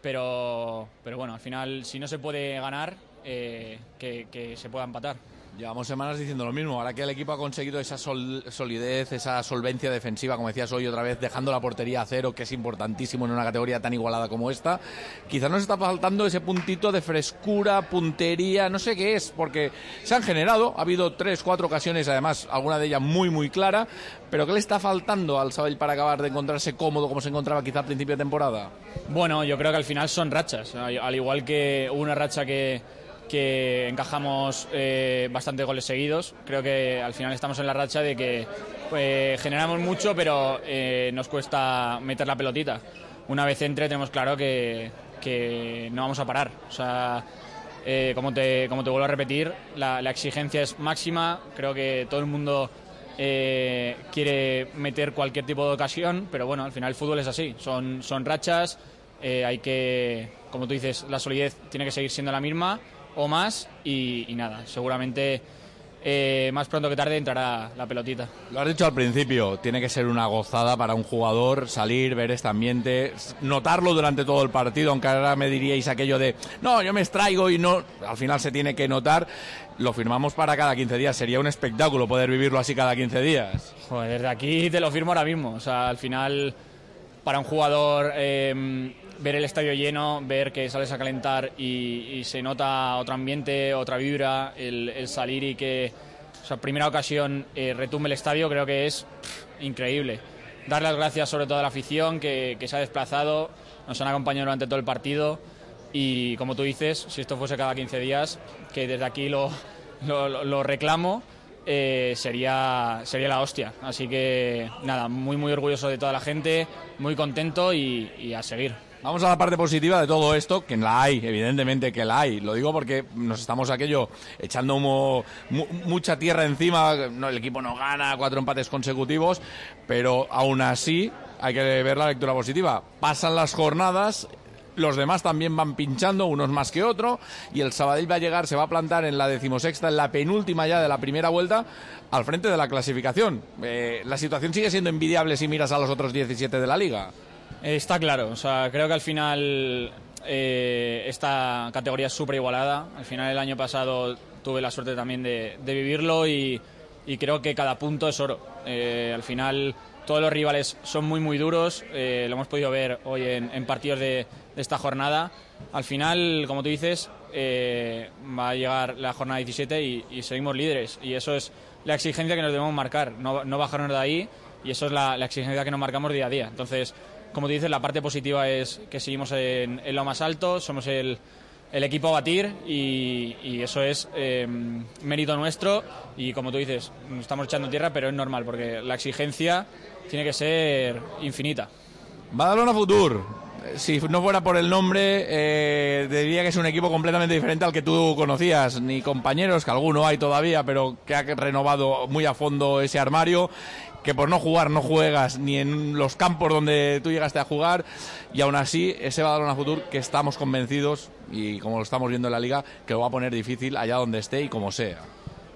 Pero bueno, al final, si no se puede ganar, que se pueda empatar. Llevamos semanas diciendo lo mismo. Ahora que el equipo ha conseguido esa solidez, esa solvencia defensiva, como decías hoy otra vez, dejando la portería a 0, que es importantísimo en una categoría tan igualada como esta, quizás nos está faltando ese puntito de frescura, puntería, no sé qué es, porque se han generado, ha habido 3, 4 ocasiones, además, alguna de ellas muy, muy clara, pero ¿qué le está faltando al Sabadell para acabar de encontrarse cómodo como se encontraba quizá al principio de temporada? Bueno, yo creo que al final son rachas, al igual que hubo una racha que encajamos bastante goles seguidos. Creo que al final estamos en la racha de que generamos mucho, pero nos cuesta meter la pelotita. Una vez entre tenemos claro que no vamos a parar. O sea, como te vuelvo a repetir, la exigencia es máxima. Creo que todo el mundo quiere meter cualquier tipo de ocasión, pero bueno, al final el fútbol es así. Son rachas. Hay que, como tú dices, la solidez tiene que seguir siendo la misma o más y nada, seguramente más pronto que tarde entrará la pelotita. Lo has dicho al principio, tiene que ser una gozada para un jugador salir, ver este ambiente, notarlo durante todo el partido, aunque ahora me diríais aquello de no, yo me extraigo y no, al final se tiene que notar. Lo firmamos para cada 15 días, sería un espectáculo poder vivirlo así cada 15 días. Joder, desde aquí te lo firmo ahora mismo, o sea, al final para un jugador ver el estadio lleno, ver que sales a calentar y se nota otro ambiente, otra vibra, el salir y que, o sea, primera ocasión retumbe el estadio, creo que es increíble. Dar las gracias sobre todo a la afición que se ha desplazado, nos han acompañado durante todo el partido y como tú dices, si esto fuese cada 15 días, que desde aquí lo reclamo, sería la hostia. Así que nada, muy muy orgulloso de toda la gente, muy contento y a seguir. Vamos a la parte positiva de todo esto, que la hay, evidentemente que la hay. Lo digo porque nos estamos echando mucha tierra encima. No, el equipo no gana, 4 empates consecutivos, pero aún así hay que ver la lectura positiva. Pasan las jornadas, los demás también van pinchando, unos más que otro, y el Sabadell va a llegar, se va a plantar en la 16ª, en la penúltima ya de la primera vuelta, al frente de la clasificación. La situación sigue siendo envidiable si miras a los otros 17 de la Liga. Está claro, o sea, creo que al final esta categoría es súper igualada. Al final el año pasado tuve la suerte también de vivirlo y creo que cada punto es oro. Al final todos los rivales son muy muy duros, lo hemos podido ver hoy en partidos de esta jornada. Al final, como tú dices, va a llegar la jornada 17 y seguimos líderes, y eso es la exigencia que nos debemos marcar, no bajarnos de ahí, y eso es la exigencia que nos marcamos día a día. Entonces, como tú dices, la parte positiva es que seguimos en lo más alto, somos el equipo a batir y eso es mérito nuestro, y como tú dices, estamos echando tierra, pero es normal porque la exigencia tiene que ser infinita. Badalona Futur, si no fuera por el nombre, diría que es un equipo completamente diferente al que tú conocías, ni compañeros, que alguno hay todavía, pero que ha renovado muy a fondo ese armario, que por no jugar no juegas ni en los campos donde tú llegaste a jugar, y aún así ese Badalona Futur que estamos convencidos, y como lo estamos viendo en la Liga, que lo va a poner difícil allá donde esté y como sea.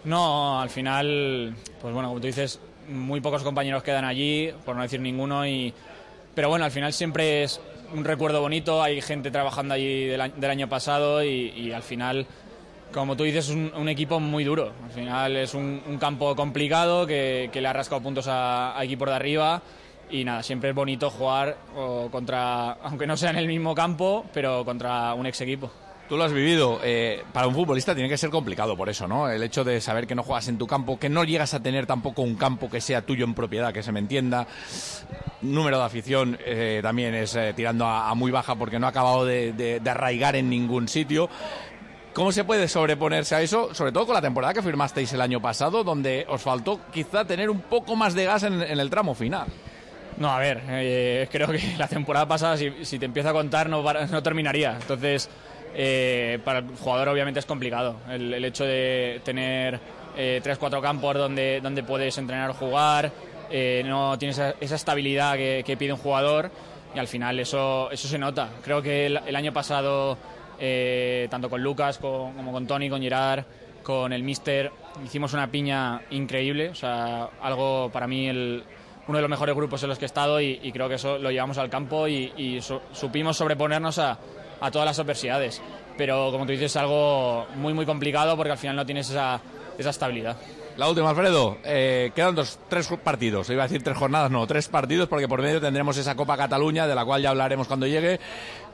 No, al final, pues bueno, como tú dices, muy pocos compañeros quedan allí, por no decir ninguno, pero bueno, al final siempre es un recuerdo bonito, hay gente trabajando allí del año pasado y al final, como tú dices, es un equipo muy duro. Al final es un campo complicado que le ha rascado puntos a equipos de arriba y nada, siempre es bonito jugar contra, aunque no sea en el mismo campo, pero contra un ex equipo. Tú lo has vivido. Para un futbolista tiene que ser complicado por eso, ¿no? El hecho de saber que no juegas en tu campo, que no llegas a tener tampoco un campo que sea tuyo en propiedad, que se me entienda. Número de afición también es tirando a muy baja porque no ha acabado de arraigar en ningún sitio. ¿Cómo se puede sobreponerse a eso? Sobre todo con la temporada que firmasteis el año pasado, donde os faltó quizá tener un poco más de gas en el tramo final. No, a ver, creo que la temporada pasada, si te empiezo a contar, no terminaría. Entonces, para el jugador obviamente es complicado. El hecho de tener 3-4 campos donde puedes entrenar o jugar, no tienes esa estabilidad que pide un jugador y al final eso se nota. Creo que el año pasado, tanto con Lucas como con Toni, con Gerard, con el míster, hicimos una piña increíble. O sea, algo para mí uno de los mejores grupos en los que he estado y creo que eso lo llevamos al campo y supimos sobreponernos a todas las adversidades. Pero como tú dices, es algo muy muy complicado porque al final no tienes esa estabilidad. La última, Alfredo, quedan 3 partidos, iba a decir 3 jornadas, no, 3 partidos, porque por medio tendremos esa Copa Cataluña, de la cual ya hablaremos cuando llegue.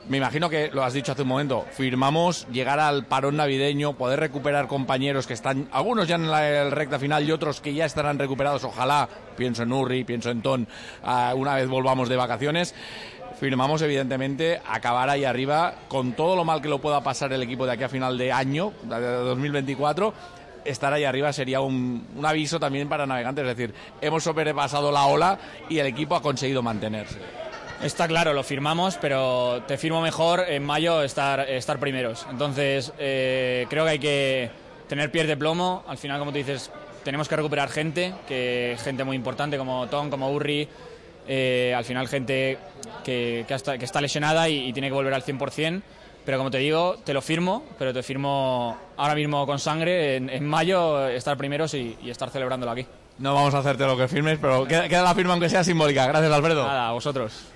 Me imagino que, lo has dicho hace un momento, firmamos llegar al parón navideño, poder recuperar compañeros que están, algunos ya en la recta final y otros que ya estarán recuperados, ojalá, pienso en Urri, pienso en Ton, una vez volvamos de vacaciones. Firmamos, evidentemente, acabar ahí arriba, con todo lo mal que lo pueda pasar el equipo de aquí a final de año, de 2024, estar ahí arriba sería un aviso también para Navegantes, es decir, hemos sobrepasado la ola y el equipo ha conseguido mantenerse. Está claro, lo firmamos, pero te firmo mejor en mayo estar primeros. Entonces, creo que hay que tener pies de plomo. Al final, como tú dices, tenemos que recuperar gente muy importante como Tom, como Urri. Al final gente que está lesionada y tiene que volver al 100%, pero como te digo, te lo firmo, pero te firmo ahora mismo con sangre, en mayo estar primeros y estar celebrándolo aquí. No vamos a hacerte lo que firmes, pero queda la firma aunque sea simbòlica. Gràcies, Alfredo. Nada, a vosotros.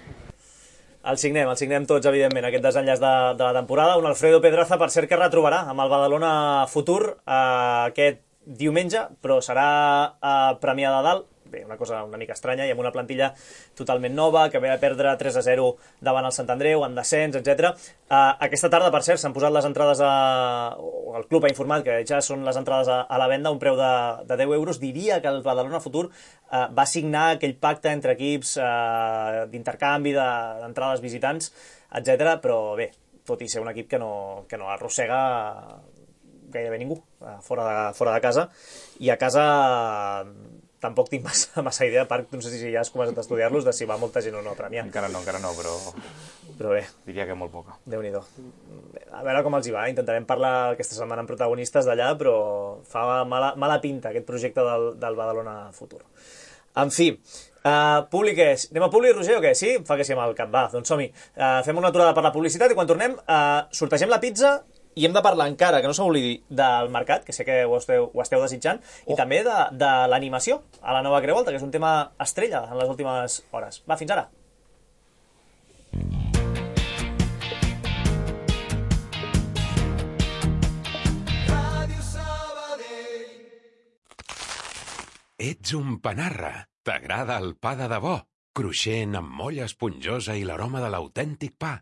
El signem tots, evidentment, aquest desenllaç de la temporada. Un Alfredo Pedraza, per cert, que retrobarà amb el Badalona Futur aquest diumenge, però serà a Premià de Dalt. Bé, una cosa una mica estranya, i amb una plantilla totalment nova, que ve a perdre 3-0 davant el Sant Andreu, en descens, etc. Aquesta tarda, per cert, s'han posat les entrades el club ha informat que ja són les entrades a la venda, un preu de 10 euros. Diria que el Badalona Futur va signar aquell pacte entre equips d'intercanvi, d'entrades visitants, etc. Però bé, tot i ser un equip que no arrossega gairebé ningú fora de casa, i a casa tampoc tinc massa idea, a part, no sé si ja has començat a estudiar-los, de si va molta gent o no a Premià. Encara no, però bé. Diria que molt poca. Déu-n'hi-do. A veure com els hi va, intentarem parlar aquesta setmana amb protagonistes d'allà, però fa mala pinta aquest projecte del Badalona Futur. En fi, públic és... Anem a públic, Roger, o què? Sí? Em fa que sí amb el cap. Va, doncs som-hi. Fem una aturada per la publicitat i quan tornem sortegem la pizza. I hem de parlar encara, que no s'oblidi, del mercat, que sé que ho esteu desitjant, i també de l'animació a la nova Creu Alta, que és un tema estrella en les últimes hores. Va, fins ara. Ets un panarra. T'agrada el pa de debò, cruixent amb molla esponjosa i l'aroma de l'autèntic pa.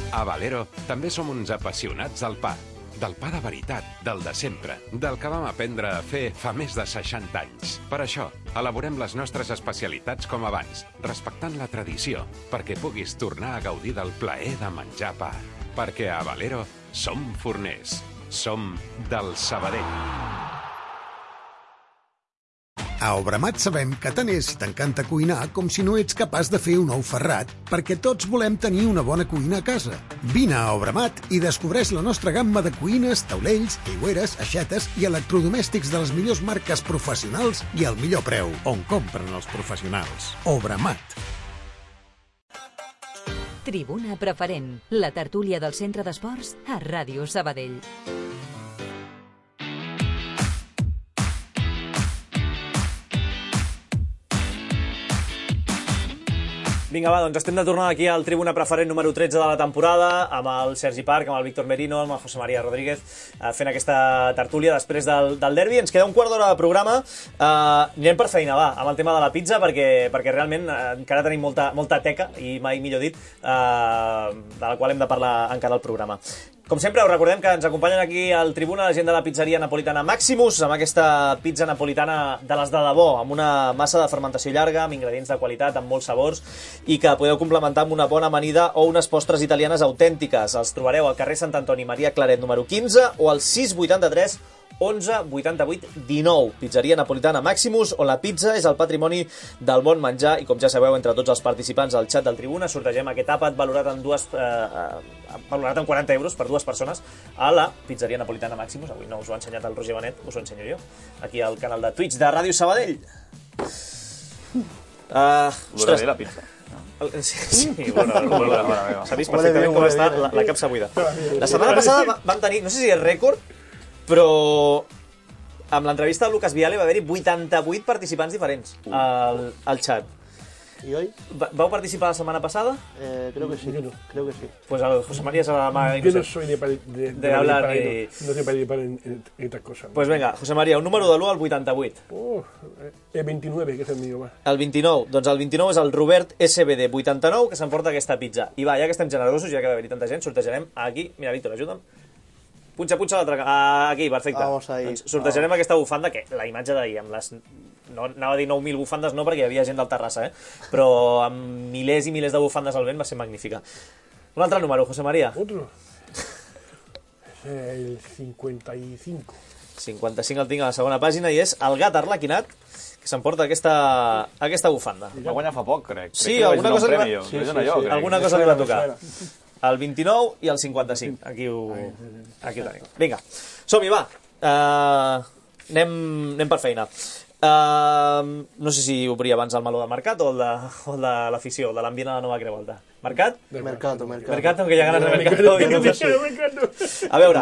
A Valero també som uns apassionats del pa de veritat, del de sempre, del que vam aprendre a fer fa més de 60 anys. Per això, elaborem les nostres especialitats com abans, respectant la tradició, perquè puguis tornar a gaudir del plaer de menjar pa. Perquè a Valero som forners, som del Sabadell. A Obramat sabem que tant és si t'encanta cuinar com si no ets capaç de fer un ou ferrat, perquè tots volem tenir una bona cuina a casa. Vine a Obramat i descobreix la nostra gamma de cuines, taulells, aigüeres, aixetes i electrodomèstics de les millors marques professionals i al millor preu, on compren els professionals. Obramat. Tribuna Preferent, la tertúlia del Centre d'Esports a Ràdio Sabadell. Vinga, va, doncs estem de tornada aquí al Tribuna Preferent número 13 de la temporada, amb el Sergi Parc, amb el Víctor Merino, amb el José María Rodríguez, fent aquesta tertúlia després del derbi. Ens queda un quart d'hora de programa. Anem per feina, va, amb el tema de la pizza, perquè realment encara tenim molta teca, i mai millor dit, de la qual hem de parlar encara al programa. Com sempre, us recordem que ens acompanyen aquí al Tribuna la gent de la pizzeria napolitana Maximus, amb aquesta pizza napolitana de les de debò, amb una massa de fermentació llarga, amb ingredients de qualitat, amb molts sabors, i que podeu complementar amb una bona amanida o unes postres italianes autèntiques. Els trobareu al carrer Sant Antoni Maria Claret número 15 o al 683 11 88 19. Pizzeria napolitana Maximus, on la pizza és el patrimoni del bon menjar, i com ja sabeu, entre tots els participants al xat del Tribuna sortegem aquest àpat valorat en 40 euros per dues persones a la pizzeria napolitana Maximus. Avui no us ho ha ensenyat el Roger Benet, us ho ensenyo jo, aquí al canal de Twitch de Ràdio Sabadell. Ostres, la pizza. Sí, bona. S'ha vist perfectament com està la capsa buida. La setmana passada vam tenir, no sé si és rècord, però amb l'entrevista de Lucas Viale va haver-hi 88 participants diferents al xat. ¿Y hoy? ¿Vau participar la setmana pasada? Creo que sí, creo que sí. Pues el José María se va Yo no soy de hablar no sé participar en estas cosas. Pues venga, José María, un número de l'1 al 88. El 29, que és el millor. El 29, doncs el 29 és el Robert SBD 89, que s'emporta aquesta pizza. I va, ja que estem generosos, ja que va haver-hi tanta gent, sortejarem aquí. Mira, Víctor, ajuda'm. Punxa l'altre... Aquí, perfecte. Doncs sortejarem aquesta bufanda, que la imatge d'ahir, amb les... No, anava a dir 9.000 bufandes, no, perquè hi havia gent del Terrassa, però amb milers i milers de bufandes al vent va ser magnífica. Un altre número, José María. Otro. És el 55. 55 el tinc a la segona pàgina, i és el gat arlequinat, que s'emporta aquesta bufanda. Va guanyar fa poc, crec. Sí, alguna cosa li va tocar. El 29 i el 55. Aquí ho tenim. Vinga, som-hi, va. Anem per feina. No sé si obrir abans el meló de Mercat o el de l'afició, de l'ambient a la nova Creu Alta. Mercat? Mercato, que ja ganes de Mercato. A veure,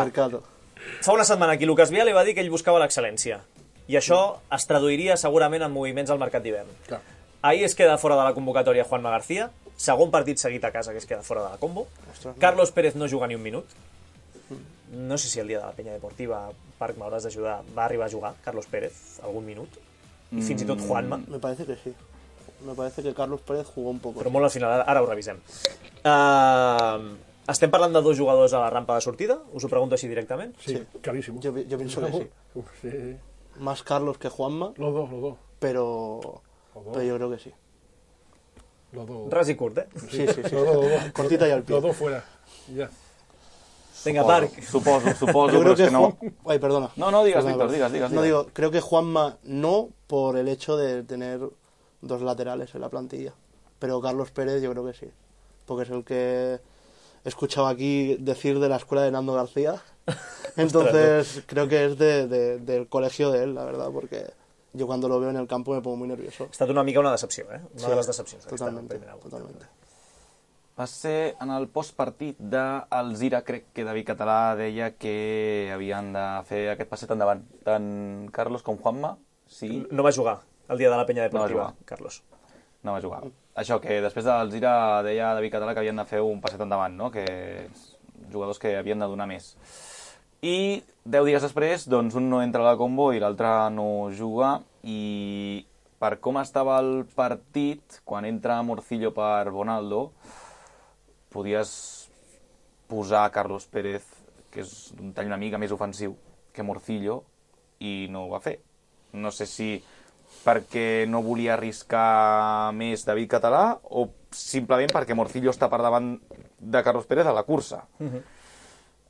fa una setmana aquí Lucas Viale va dir que ell buscava l'excel·lència. I això es traduiria segurament en moviments al mercat d'hivern. Ahir es queda fora de la convocatòria Juanma García, segon partit seguit a casa que es queda fora de la combo. Carlos Pérez no juga ni un minut. No sé si el dia de la penya deportiva, Parc, m'hauràs d'ajudar, va arribar a jugar Carlos Pérez algun minut. I fins i tot Juanma. Me parece que sí. Me parece que Carlos Pérez jugó un poco. Però molt al final, ara ho revisem. Estem parlant de dos jugadors a la rampa de sortida? Us ho pregunto així directament? Sí, clarísimo. Yo pienso que sí. Más Carlos que Juanma. Los dos. Pero yo creo que sí. Los dos. Ras i curt, eh? Sí. Cortita y al pie. Los dos fuera. Ya. Venga, Parc. Suposo, Yo creo que no... Ay, perdona. No, digas, Víctor, digas. No, digo, creo que Juanma no, por el hecho de tener dos laterales en la plantilla. Pero Carlos Pérez yo creo que sí. Porque es el que he escuchado aquí decir de la escuela de Nando García. Entonces creo que es del colegio de él, la verdad, porque yo cuando lo veo en el campo me pongo muy nervioso. Ha estat una mica una decepció, eh? Una de les decepcions. Totalmente. Va ser en el postpartit d'Alzira, crec que David Català deia que havien de fer aquest passet endavant. Tant Carlos com Juanma, sí. No va jugar el dia de la penya deportiva, Carlos. No va jugar. Això, que després d'Alzira deia David Català que havien de fer un passet endavant, no? Que jugadors que havien de donar més. I 10 dies després, doncs un no entra a la combo i l'altre no juga, i per com estava el partit, quan entra Morcillo per Bonaldo, podies posar Carlos Pérez, que és un tall una mica més ofensiu que Morcillo, i no ho va fer. No sé si perquè no volia arriscar més David Català o simplement perquè Morcillo està per davant de Carlos Pérez a la cursa.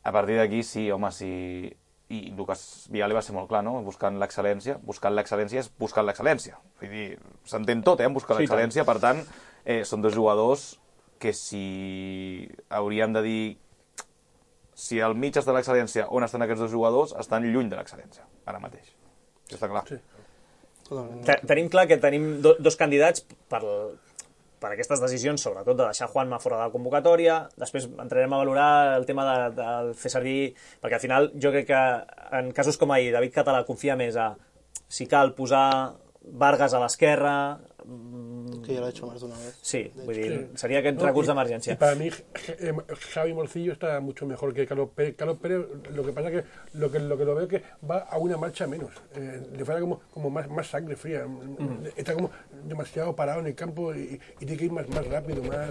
A partir d'aquí, sí, home, sí. I Lucas Viale va ser molt clar, no? Buscant l'excel·lència. Buscant l'excel·lència és buscant l'excel·lència. Vull dir, s'entén tot, en buscar l'excel·lència. Per tant, són dos jugadors que si hauríem de dir si al mig està l'excel·lència, on estan aquests dos jugadors, estan lluny de l'excel·lència, ara mateix. Això està clar. Sí. Tenim clar que tenim dos candidats per aquestes decisions, sobretot de deixar Juanma fora de la convocatòria. Després entrarem a valorar el tema de fer servir, perquè al final jo crec que en casos com ahir David Català confia més a si cal posar Vargas a l'esquerra... Que ya lo ha hecho más de una vez. Sí, vull dir, seria aquest recurs d'emergència. Y para mí Javi Morcillo está mucho mejor que Carlos Pérez. Carlos Pérez, lo que pasa es que lo veo es que va a una marcha menos. Le falta como más sangre fría. Está como demasiado parado en el campo y tiene que ir más rápido, más...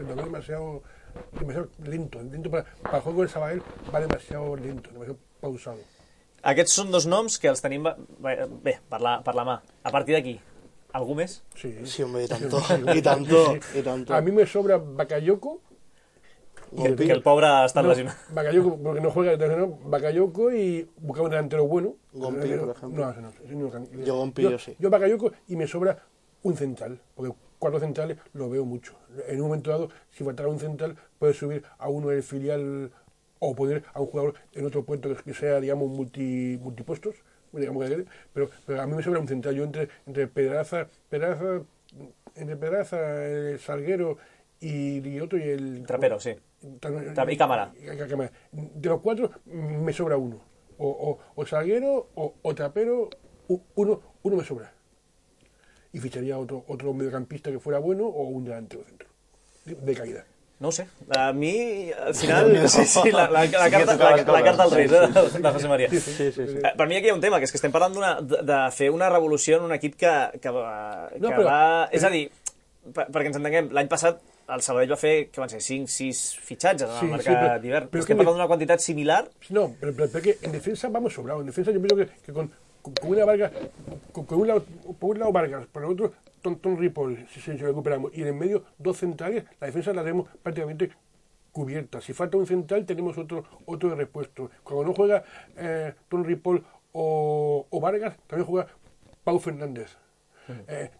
Lo veo demasiado lento. Para el juego del Sabadell va demasiado lento, demasiado pausado. Aquests són dos noms que els tenim bé, per la mà. A partir d'aquí, algú més? Sí, hombre, y tanto. A mí me sobra Bakayoko. Que el pobre està lesionat. Bakayoko, porque no juega, Bakayoko y buscar un delantero bueno. Gompi, por ejemplo. No. Yo Gompi, yo sí. Yo Bakayoko y me sobra un central, porque 4 centrales lo veo mucho. En un momento dado, si faltara un central, puede subir a uno del filial o poner a un jugador en otro puesto que sea, digamos, multipuestos, digamos, pero a mí me sobra un central. Yo entre Pedraza, el Salguero y otro y el... Trapero, sí. Y Cámara. De los 4 me sobra uno. O Salguero o Trapero, uno me sobra. Y ficharía otro mediocampista que fuera bueno o un delantero centro de calidad. No ho sé. A mi, al final, sí, la carta als Reis, de José María. Sí. Per mi aquí hi ha un tema, que és que estem parlant de fer una revolució en un equip que va... És a dir, perquè ens entenguem, l'any passat el Sabadell va fer, que van ser, 5-6 fitxatges en el mercat d'hivern. Estem parlant d'una quantitat similar. No, pero que en defensa vamos sobrados. En defensa yo pienso que con una Vargas, por un lado Vargas, por el otro Ton Ripoll, si recuperamos, y en el medio 2 centrales, la defensa la tenemos prácticamente cubierta. Si falta un central, tenemos otro de repuesto. Cuando no juega Ton Ripoll o Vargas, también juega Pau Fernández.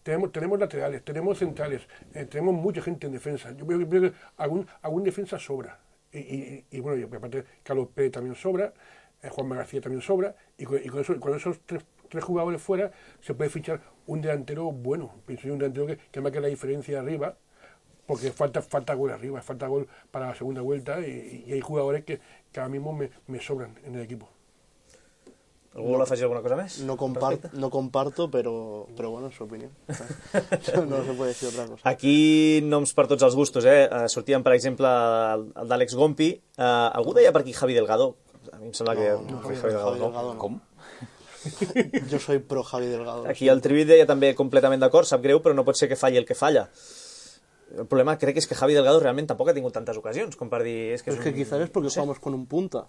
Tenemos laterales, tenemos centrales, tenemos mucha gente en defensa. Yo creo que algún defensa sobra. Y bueno, y aparte Carlos Pérez también sobra, Juanma García también sobra, y con esos tres jugadores fuera se puede fichar un delantero bueno. Pienso yo, un delantero que marque la diferencia arriba, porque falta gol arriba, falta gol para la segunda vuelta, y hay jugadores que ahora mismo me sobran en el equipo. ¿Algú vol afegir alguna cosa més? No comparto, pero bueno, es su opinión. No se puede decir otra cosa. Aquí noms per tots els gustos, sortien, per exemple, el d'Àlex Gompi. Algú deia per aquí Javi Delgado. A mi em sembla que... Javi Delgado no. Com? Yo soy pro Javi Delgado. Aquí el Trivi deia també completament d'acord, sap greu, però no pot ser que falli el que falla. El problema crec que és que Javi Delgado realment tampoc ha tingut tantes ocasions com per dir... Es que quizás es porque jugamos con un punta.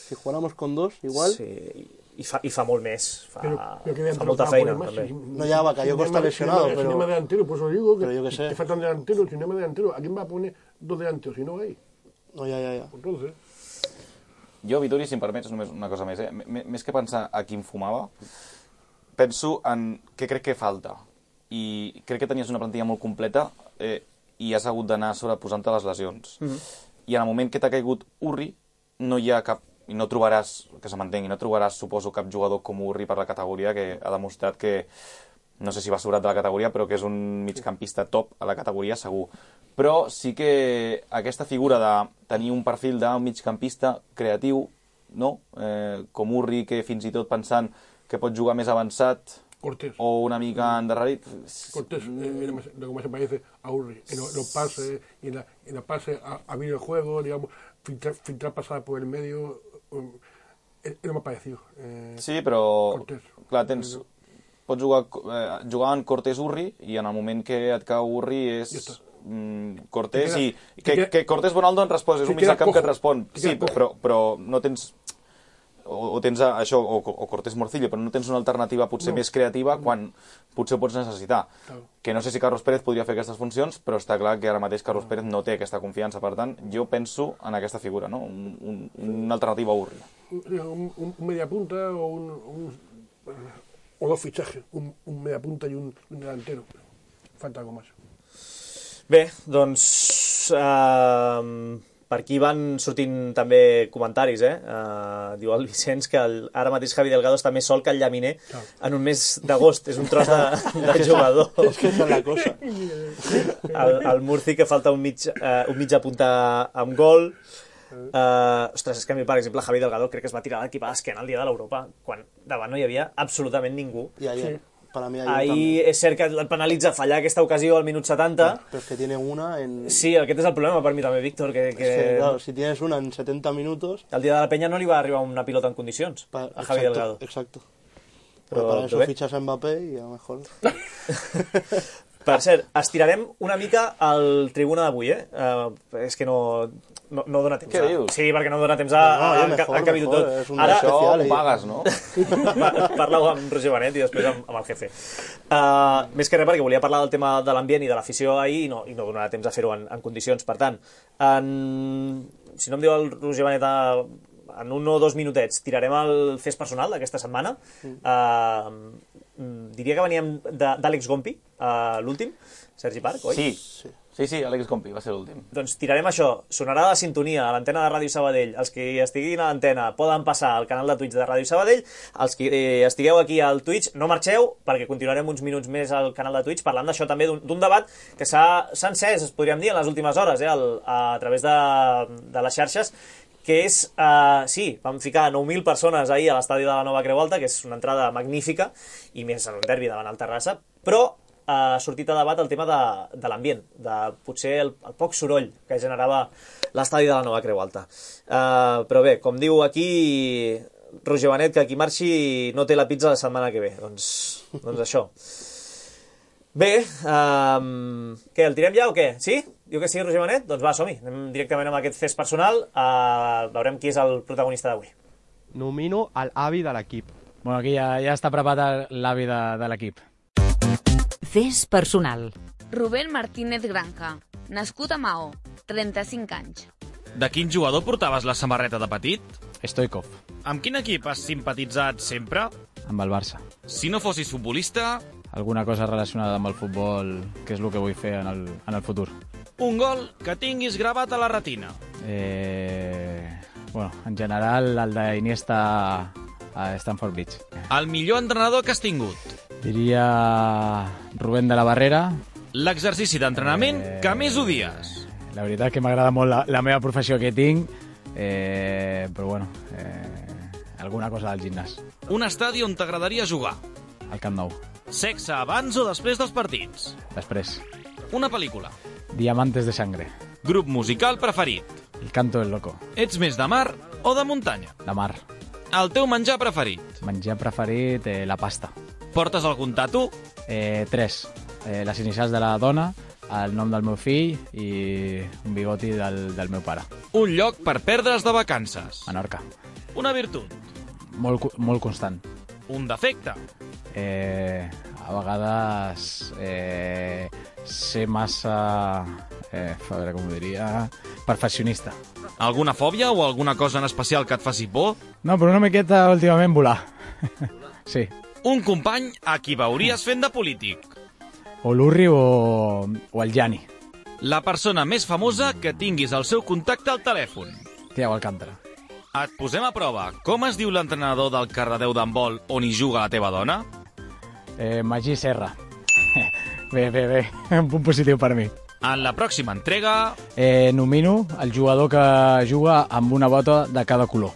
Si jugáramos con 2, igual... Sí, i fa molt més, fa molta Pero feina más, també. No, ya Bakayoko está lesionado, pero... Cinema delantero, por eso digo que pero yo qué sé. te faltan delanteros, cinema delantero. ¿A quién va a poner 2 delanteros si no hay? No, ya. Entonces... Jo, Vituri, si em permets, només una cosa més. Més que pensar a qui em fumava, penso en què crec que falta. I crec que tenies una plantilla molt completa i has hagut d'anar sobreposant-te les lesions. I en el moment que t'ha caigut Urri, no hi ha cap... I no trobaràs, que se m'entengui, no trobaràs, suposo, cap jugador com Urri per la categoria que ha demostrat que, no sé si va sobrat de la categoria, però que és un migcampista top a la categoria, segur. Però sí que aquesta figura de tenir un perfil d'un migcampista creatiu, no? Com Urri, que fins i tot pensant que pot jugar més avançat, Cortés. O una mica endarrerit. Cortés, lo que más se parece a Urri, en los pases, y en la pase a abrir el juego, digamos, filtrar pasada por el medio, es lo más parecido. Sí, però, Cortés. Clar, pots jugar en Cortés-Urri, i en el moment que et cau Urri és Cortés, i que Cortés-Bonaldo en respost, és un mig del camp que et respon. Sí, però no tens... O tens això, o Cortés Morcillo, però no tens una alternativa potser més creativa quan potser ho pots necessitar. Que no sé si Carlos Pérez podria fer aquestes funcions, però està clar que ara mateix Carlos Pérez no té aquesta confiança. Per tant, jo penso en aquesta figura, no? Una alternativa a Urri. Un mediapunta o 2 fichajes, un mediapunta i un delantero. Falta algo más. Bé, doncs... Per aquí van sortint també comentaris, diu el Vicenç que ara mateix Javi Delgado està més sol que el Llaminer en un mes d'agost. És un tros de jugador. És que és la cosa. El Murci, que falta un mig apuntar amb gol. Ostres, és que a mi, per exemple, Javi Delgado crec que es va tirar l'equip a l'esquena el dia de l'Europa, quan davant no hi havia absolutament ningú. I ayer. para mí ahir és cert que el penalitza fallar aquesta ocasió al minut 70. Pero es que tiene una en... Sí, aquest és el problema per mi també, Víctor, que... Es que, claro, si tienes una en 70 minutos... El dia de la Penya no li va arribar una pilota en condicions a Javi Delgado. Exacto. Pero para eso fichas a Mbappé y a lo mejor... Per cert, estirarem una mica al Tribuna d'avui, és que no dona temps. Què dius? Sí, perquè no dona temps a acabar-ho tot. Ara això ho pagues, no? Parla-ho amb Roger Benet i després amb el jefe. Més que res perquè volia parlar del tema de l'ambient i de l'afició ahir i no donarà temps a fer-ho en condicions. Per tant, si no em diu el Roger Benet en 1 o 2 minutets, tirarem el fes personal d'aquesta setmana. Diria que veníem d'Àlex Gompi, l'últim, Sergi Parc, oi? Sí, Àlex Gompi va ser l'últim. Doncs tirarem això, sonarà la sintonia a l'antena de Ràdio Sabadell. Els que estiguin a l'antena poden passar al canal de Twitch de Ràdio Sabadell. Els que estigueu aquí al Twitch, no marxeu, perquè continuarem uns minuts més al canal de Twitch parlant d'això també, d'un debat que s'ha encès, podríem dir, en les últimes hores, a través de les xarxes, que és, sí, vam ficar 9.000 persones ahir a l'estadi de la Nova Creu Alta, que és una entrada magnífica, i més en un derbi davant el Terrassa, però ha sortit a debat el tema de l'ambient, de potser el poc soroll que generava l'estadi de la Nova Creu Alta. Però bé, com diu aquí Roger Benet, que qui marxi no té la pizza la setmana que ve. Doncs això. Bé, què, el tirem ja o què? Sí? Diu que sí, Roger Benet? Doncs va, som-hi. Anem directament amb aquest fes personal. Veurem qui és el protagonista d'avui. Nomino l'avi de l'equip. Bueno, aquí ja està preparat l'avi de l'equip. Fes personal. Rubén Martínez Granja, nascut a Maó, 35 anys. De quin jugador portaves la samarreta de petit? Stoikov. Amb quin equip has simpatitzat sempre? Amb el Barça. Si no fossis futbolista... Alguna cosa relacionada amb el futbol, que és el que vull fer en el futur. Un gol que tinguis gravat a la retina. Bueno, en general, el d'Iniesta a Stamford Bridge. El millor entrenador que has tingut? Diria Rubén de la Barrera. L'exercici d'entrenament que més odies? La veritat que m'agrada molt la meva professió que tinc, però bueno, alguna cosa del gimnàs. Un estadi on t'agradaria jugar? Al Camp Nou. Sexe abans o després dels partits? Després. Una pel·lícula? Diamantes de sangre. Grup musical preferit? El Canto del Loco. Ets més de mar o de muntanya? De mar. El teu menjar preferit? Menjar preferit, la pasta. Portes algun tatu? 3. Les inicials de la dona, el nom del meu fill i un bigoti del meu pare. Un lloc per perdre's de vacances? Menorca. Una virtut? Molt constant. Un defecte? A vegades ser massa, a veure com ho diria, perfeccionista. Alguna fòbia o alguna cosa en especial que et faci por? No, però una miqueta últimament volar. Sí. Un company a qui veuries fent de polític? O l'Urri o el Jani. La persona més famosa que tinguis el seu contacte al telèfon? Thiago Alcántara. Et posem a prova. Com es diu l'entrenador del Cardedeu d'handbol on hi juga la teva dona? Magí Serra. Bé, un punt positiu per mi. En la pròxima entrega... Nomino el jugador que juga amb una bota de cada color.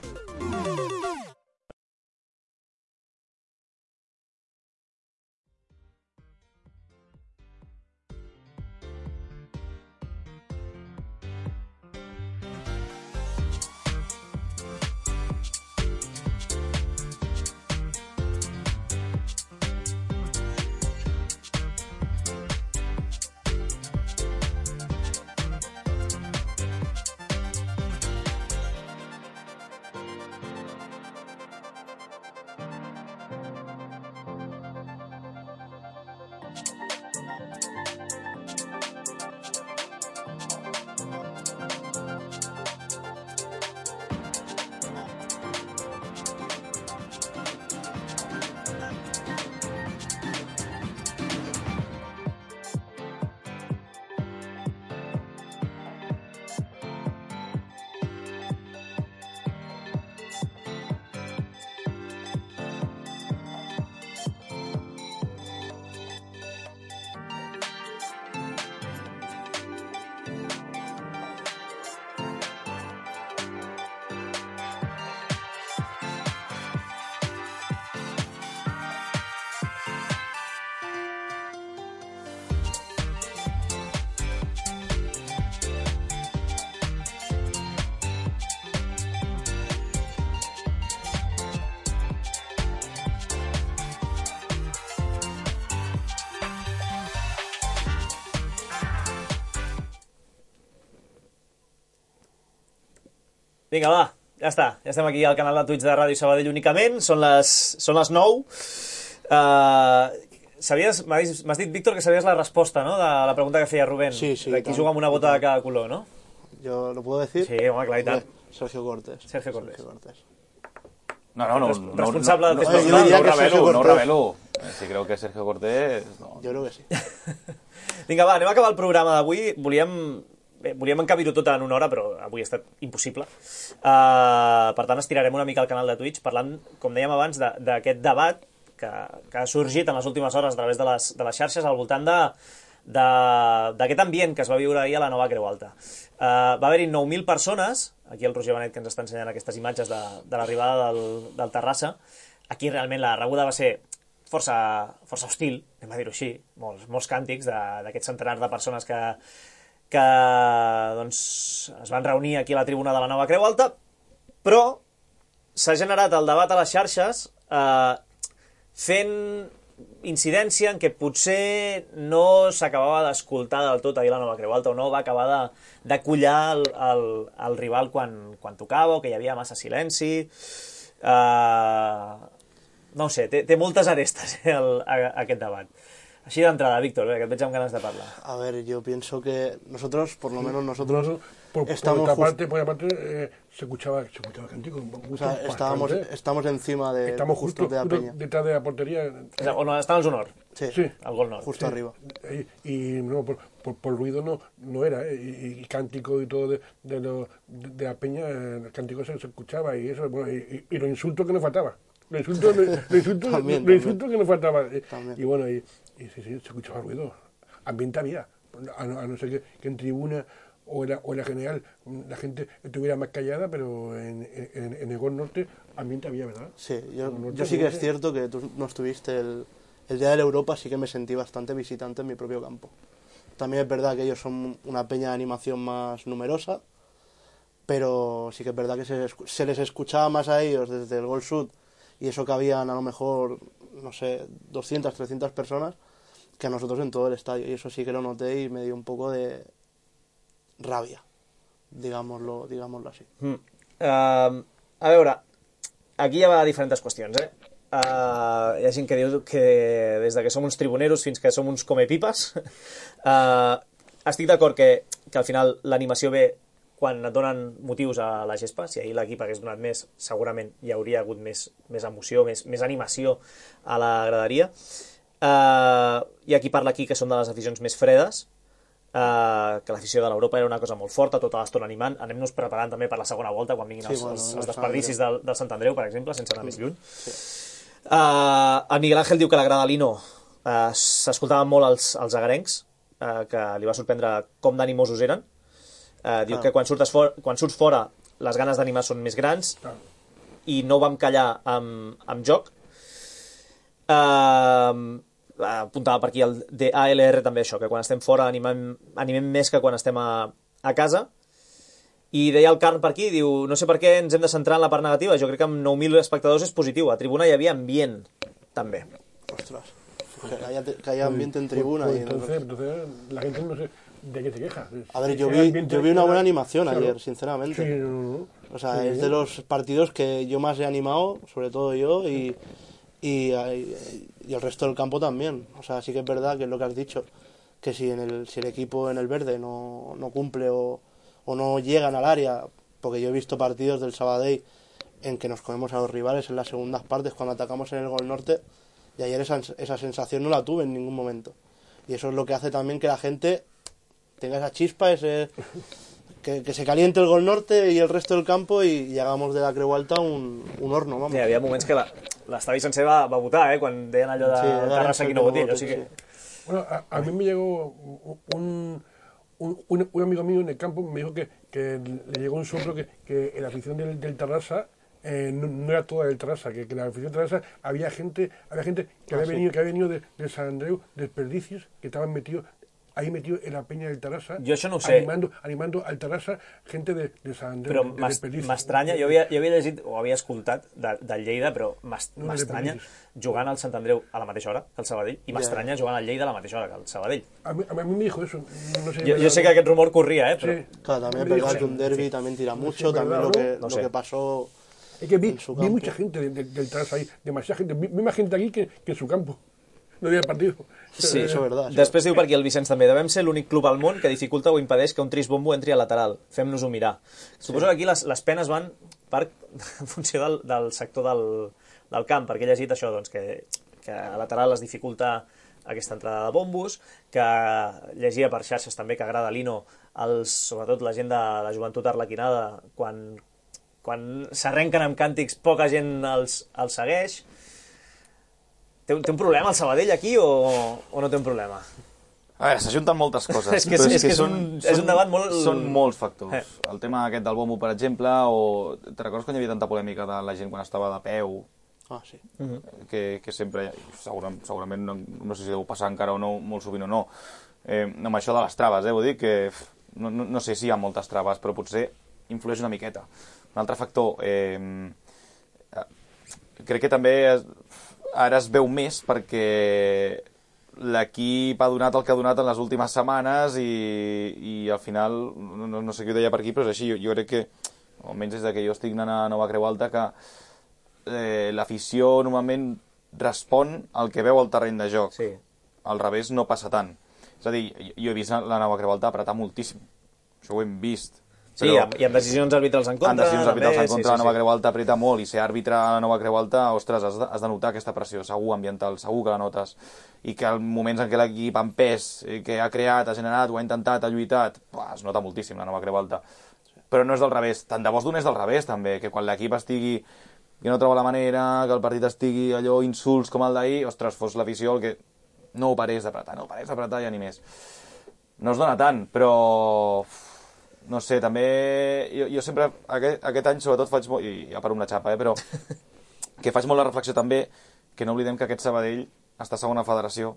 Vinga, va, ja està. Ja estem aquí al canal de Twitch de Ràdio Sabadell únicament. Són les 9. M'has dit, Víctor, que sabies la resposta, no?, de la pregunta que feia Rubén. Sí. De qui juga amb una bota de cada color, no? ¿Yo lo puedo decir? Sí, home, clar, i tant. Sergio Cortés. Sergio Cortés. No. Responsable del no, festival. no revelo. Si creu que és Sergio Cortés... No. Jo crec que sí. Vinga, va, anem a acabar el programa d'avui. Volíem encabir-ho tot en una hora, però avui ha estat impossible. Per tant, estirarem una mica el canal de Twitch parlant, com dèiem abans, d'aquest debat que ha sorgit en les últimes hores a través de les xarxes al voltant d'aquest ambient que es va viure ahir a la nova Creu Alta. Va haver-hi 9.000 persones, aquí el Roger Benet que ens està ensenyant aquestes imatges de l'arribada del Terrassa. Aquí realment la rebuda va ser força hostil, anem a dir-ho així, molts càntics d'aquest centenar de persones que doncs, es van reunir aquí a la tribuna de la nova Creu Alta, però s'ha generat el debat a les xarxes fent incidència en què potser no s'acabava d'escoltar del tot ahir la nova Creu Alta, o no va acabar de collar el rival quan tocava, o que hi havia massa silenci. No ho sé, té moltes arestes aquest debat. Així d'entrada, Víctor, que et veig amb ganes de parlar. A ver, yo pienso que nosotros, por lo menos nosotros, por estamos por otra parte se escuchaba cántico. O sea, estamos encima de estamos justo de la peña. Detrás de la portería. Estamos honor. Sí, al gol norte. Justo arriba. Y no, por ruido no era, y cántico y todo de la peña, el cántico se escuchaba y eso, bueno, y los insultos que nos faltaba. Los insultos que nos faltaba. Y bueno, y sí, se escuchaba ruido. Ambiente había. A no ser que en tribuna o en la general la gente estuviera más callada, pero en el gol norte ambiente había, ¿verdad? Sí, yo sí que es cierto que tú no estuviste el día de la Europa, sí que me sentí bastante visitante en mi propio campo. También es verdad que ellos son una peña de animación más numerosa, pero sí que es verdad que se les escuchaba más a ellos desde el gol sud, y eso que habían a lo mejor, no sé, 200, 300 personas, que a nosotros en todo el estadio, y eso sí que lo noté y me dio un poco de ràbia, digámoslo así. A veure, aquí hi ha diferents qüestions, hi ha gent que diu que des que som uns tribuneros fins que som uns comepipes. Estic d'acord que al final l'animació ve quan et donen motius a la gespa. Si ahir l'equip hagués donat més, segurament hi hauria hagut més emoció, més animació a la graderia. Hi ha qui parla aquí que són de les aficions més fredes, que l'afició de l'Europa era una cosa molt forta, tota l'estona animant. Anem-nos preparant també per la segona volta, quan vinguin els desperdicis del Sant Andreu, per exemple, sense anar més lluny. El Miguel Ángel diu que la grada Lino s'escoltaven molt els agarencs, que li va sorprendre com d'animosos eren. Diu que quan surts fora les ganes d'animar són més grans i no vam callar amb joc. Apuntava per aquí el DALR també això, que quan estem fora animem més que quan estem a casa. I deia el Carn per aquí, diu, no sé per què ens hem de centrar en la part negativa, jo crec que amb 9.000 espectadors és positiu, a tribuna hi havia ambient també. Ostras, que haya ambiente en tribuna. Entonces la gente no sé de qué se queja. A ver, yo vi una buena animación ayer, sinceramente. Sí, o sea, es de los partidos que yo más he animado, sobre todo yo, y el resto del campo también. O sea, sí que es verdad que es lo que has dicho, que si el equipo en el verde no cumple o no llegan al área, porque yo he visto partidos del Sabadell en que nos comemos a los rivales en las segundas partes cuando atacamos en el gol norte, y ayer esa sensación no la tuve en ningún momento. Y eso es lo que hace también que la gente tenga esa chispa, que se caliente el gol norte y el resto del campo y hagamos de la Creu Alta un horno, vamos. Sí, hi havia moments que l'estadi sencer va votar, quan deien allò de Terrassa aquí no voti, allò sí que... Bueno, a mí me llegó un amigo mío en el campo, me dijo que le llegó un soplo que la afición del Terrassa no era toda del Terrassa, que la afición del Terrassa había gente que había venido de San Andreu, desperdicios, que estaban metidos ahí metido en la peña del Tarrasa. Jo això no ho sé. Animando al Tarrasa gente de San Andrés. Però m'estranya, jo havia llegit o havia escoltat del Lleida, però m'estranya jugant al Sant Andreu a la mateixa hora que el Sabadell i m'estranya jugant al Lleida a la mateixa hora que el Sabadell. A mí me dijo eso. No sé, yo sé que aquest rumor corría, pero... Sí. Claro, también es verdad que un derbi también tira mucho, también lo que pasó... Es que vi mucha gente del Tarrasa ahí, demasiada gente. Vi más gente aquí que en su campo. No havia partido. Sí, això és veritat. Després diu per aquí el Vicenç també, devem ser l'únic club al món que dificulta o impedeix que un trisbombo entri a lateral. Fem-nos-ho mirar. Suposo que aquí les penes van en funció del sector del camp, perquè he llegit això, doncs, que a lateral es dificulta aquesta entrada de bombos, que llegia per xarxes també que agrada a Lino, sobretot la gent de la joventut arlequinada, quan s'arrenquen amb càntics poca gent els segueix. Té un problema el Sabadell aquí o no té un problema? A veure, s'ajunten moltes coses. és un debat molt... Són molts factors. El tema aquest del bombo, per exemple, o... Te recordes quan hi havia tanta polèmica de la gent quan estava de peu? Ah, sí. Que sempre, segurament, no sé si deu passar encara o no, molt sovint o no, amb això de les traves, vull dir que no sé si hi ha moltes traves, però potser influeix una miqueta. Un altre factor, crec que també ara es veu més perquè l'equip ha donat el que ha donat en les últimes setmanes i al final, no sé qui ho deia per aquí, però és així, jo crec que, almenys des que jo estic anant a Nova Creu Alta, que l'afició normalment respon al que veu al terreny de joc. Sí. Al revés no passa tant. És a dir, jo he vist la Nova Creu Alta apretar moltíssim. Això ho hem vist. Sí, i amb decisions arbitrals en contra. Amb decisions arbitrals en contra, la Nova Creu Alta apreta molt, i ser àrbitre a la Nova Creu Alta, ostres, has de notar aquesta pressió, segur, ambiental, segur que la notes. I que als moments en què l'equip en pes, que ha creat, ha generat, ho ha intentat, ha lluitat, es nota moltíssim la Nova Creu Alta. Però no és del revés, tant de bo es donés del revés, també, que quan l'equip estigui que no troba la manera, que el partit estigui allò insults com el d'ahir, ostres, fos l'afició el que no ho parés d'apretar, ja ni més. No es dona tant, però... No sé, també... Jo sempre, aquest any sobretot faig molt... I ja paro una xapa, però... Que faig molt la reflexió també que no oblidem que aquest Sabadell està a segona federació,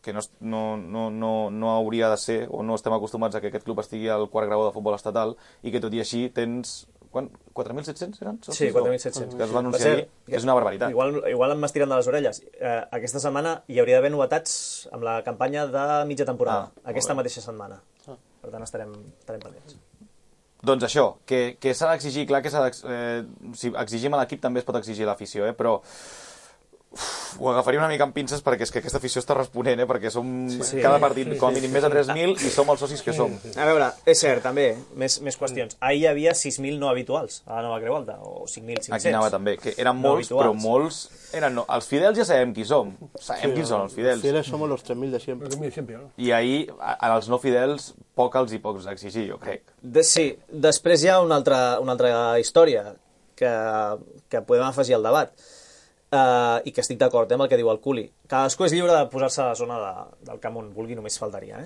que no hauria de ser, o no estem acostumats a que aquest club estigui al quart grau de futbol estatal, i que tot i així tens... 4.700 eren? Sí, 4.700. Que es va anunciar ahir, que és una barbaritat. Igual em m'estiren de les orelles. Aquesta setmana hi hauria d'haver novetats amb la campanya de mitja temporada, aquesta mateixa setmana. Per tant, estarem pendents. Doncs això, que s'ha d'exigir, clar que si exigim a l'equip també es pot exigir a l'afició, però ho agafaria una mica amb pinces perquè és que aquesta afició està responent, perquè som cada partit com a mínim més de 3.000 i som els socis que som. A veure, és cert, també, més qüestions. Ahir hi havia 6.000 no habituals a la Nova Creu Alta, o 5.500. Aquí anava també, que eren molts, però molts eren... Els fidels ja sabem qui som, sabem qui són els fidels. Els fidels som los 3.000 de sempre. I ahir, als no fidels, poc els hi pots exigir, jo crec. Sí, després hi ha una altra història que podem afegir al debat. I que estic d'acord amb el que diu el Culi. Cadascú és lliure de posar-se a la zona del camp on vulgui, només faltaria.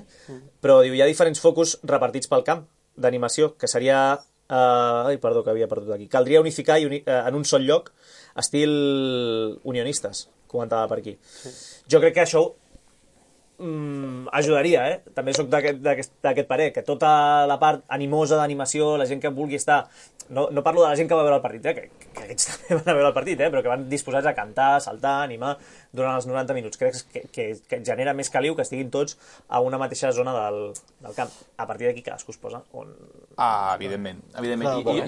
Però diu, hi ha diferents focus repartits pel camp d'animació, que seria... perdó, que havia perdut aquí. Caldria unificar en un sol lloc estil unionistes, comentava per aquí. Jo crec que això ajudaria, també soc d'aquest parer, que tota la part animosa d'animació, la gent que vulgui estar... No parlo de la gent que va veure el partit, que aquests també van a veure el partit, però que van disposats a cantar, saltar, animar durant els 90 minuts. Crec que genera més caliu que estiguin tots a una mateixa zona del camp. A partir d'aquí cadascú es posa on... Evidentment.